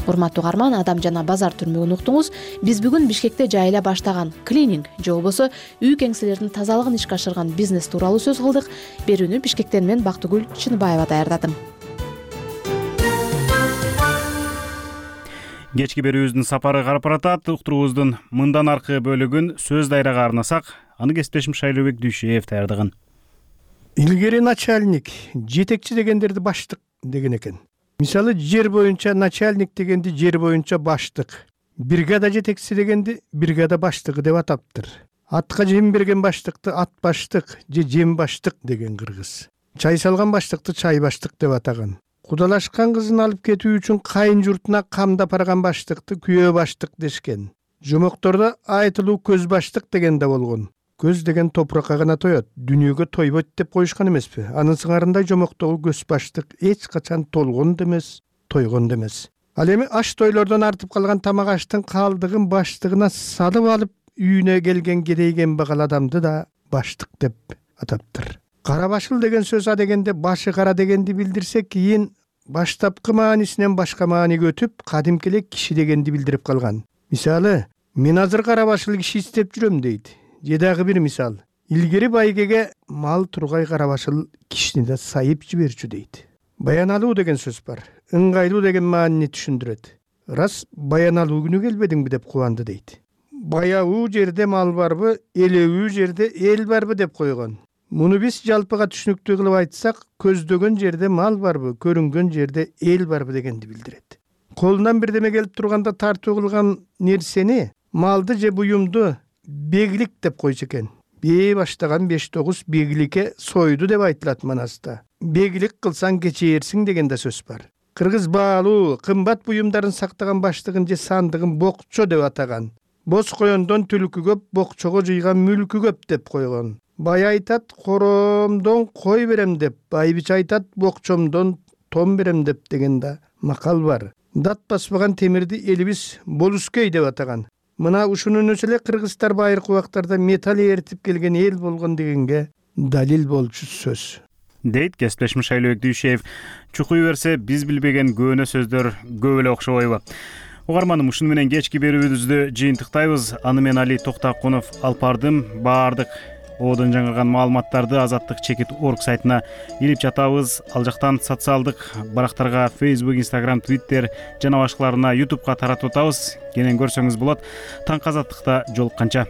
Урматтуу угарман, Адам жана базар түрмөгүн уктуңуз. Биз бүгүн Бишкекте жайыла баштаган клининг же болбосо үй кеңселердин тазалыгын ишке ашырган бизнес тууралуу сөз кылдык. Берүүнү Бишкектен мен Бактыгүл Чыныбаева даярдадым. Кечки берүүбүздүн сапары карап баратат. Уктуруубуздун мындан аркы бөлүгүн сөз дайрага арнасак, аны кесиптешим Шайлообек Дүйшеев даярдаган. Илгери начальник, жетекчи дегендерди баштык деген экен. Мисалы, жер боюнча начальник дегенди жер боюнча баштык, бригада жетекчиси дегенди бригада баштыгы деп атаптыр. Атка жем берген баштыкты ат баштык же жем баштык деген кыргыз. Чай салган баштыкты чай баштык деп атаган. Кудалашкан кызын алып кетүү үчүн кайын журтуна камдап барган баштыкты күйөө баштык дешкен. Жомоктордо айтылуу көз баштык деген да болгон. Көз деген топуракка гана тоет, дүнүйөгө тойбойт деп коюшкан эмеспи? Анын сыңарындай жомоктогу көз баштык эч качан толгон да эмес, тойгон да эмес. Ал эми аш тойлордон артып калган тамак аштын калдыгын баштыгына салып алып үйүнө келген керейген багал адамды да баштык деп атаптыр. Кара башыл деген сөз а дегенде башы кара дегенди билдирсе, кийин баштапкы маанисинен башка мааниге өтүп, кадимки эле киши дегенди билдирип калган. Мисалы, мен азыр кара башыл киши издеп жүрөм дейт. Же дагы бир мисал, илгери байгеге мал тургай кара башыл кишини да сайып жиберчү дейт. Баяналуу деген сөз бар. Ыңгайлуу деген маанини түшүндүрөт. Рас баяналуу күнү келбедиңби деп кубанды дейт. Баяуу жерде мал барбы, элебүү жерде эл барбы деп койгон. Муну биз жалпыга түшүнүктүү кылып айтсак, көздөгөн жерде мал барбы, көрүнгөн жерде эл барбы дегенди билдирет. Колунан бирдеме келип турганда тартуу кылган нерсени, малды же буюмду беглик деп койчу экен. Бээ баштаган беш тогуз бегликке сойду деп айтылат манаста. Беглик кылсаң кечээрсиң деген да сөз бар. Кыргыз баалуу, кымбат буюмдарын сактаган баштыгын же сандыгын бокчо деп атаган. Боз коёндон түлкү көп, бокчого жыйган мүлкү көп деп койгон. Бай айтат, коромдон кой берем деп, байбич айтат, бокчомдон том берем деп деген да макал бар. Дат баспаган темирди элибиз болускей деп атаган. Мына ушунун өзү эле кыргыздар байыркы убактарда металл эритип келген эл болгон дегенге далил болчу сөз. Дейт кесиптешим Шайлообек Дүйшеев. Чукуй берсе, биз билбеген көөнө сөздөр көп эле окшобойбу. угарманым, ушуну менен кечки берүүбүздү жыйынтыктайбыз. Аны мен Али Токтакунов алып бардым. Баардык оодон жаңырган маалыматтарды азаттык чекит орг сайтына илип жатабыз. Ал жактан социалдык барактарга Facebook, Instagram, Twitter жана башкаларына YouTubeга таратып атабыз. Кенен көрсөңүз болот. Таңкы азаттыкта жолукканча.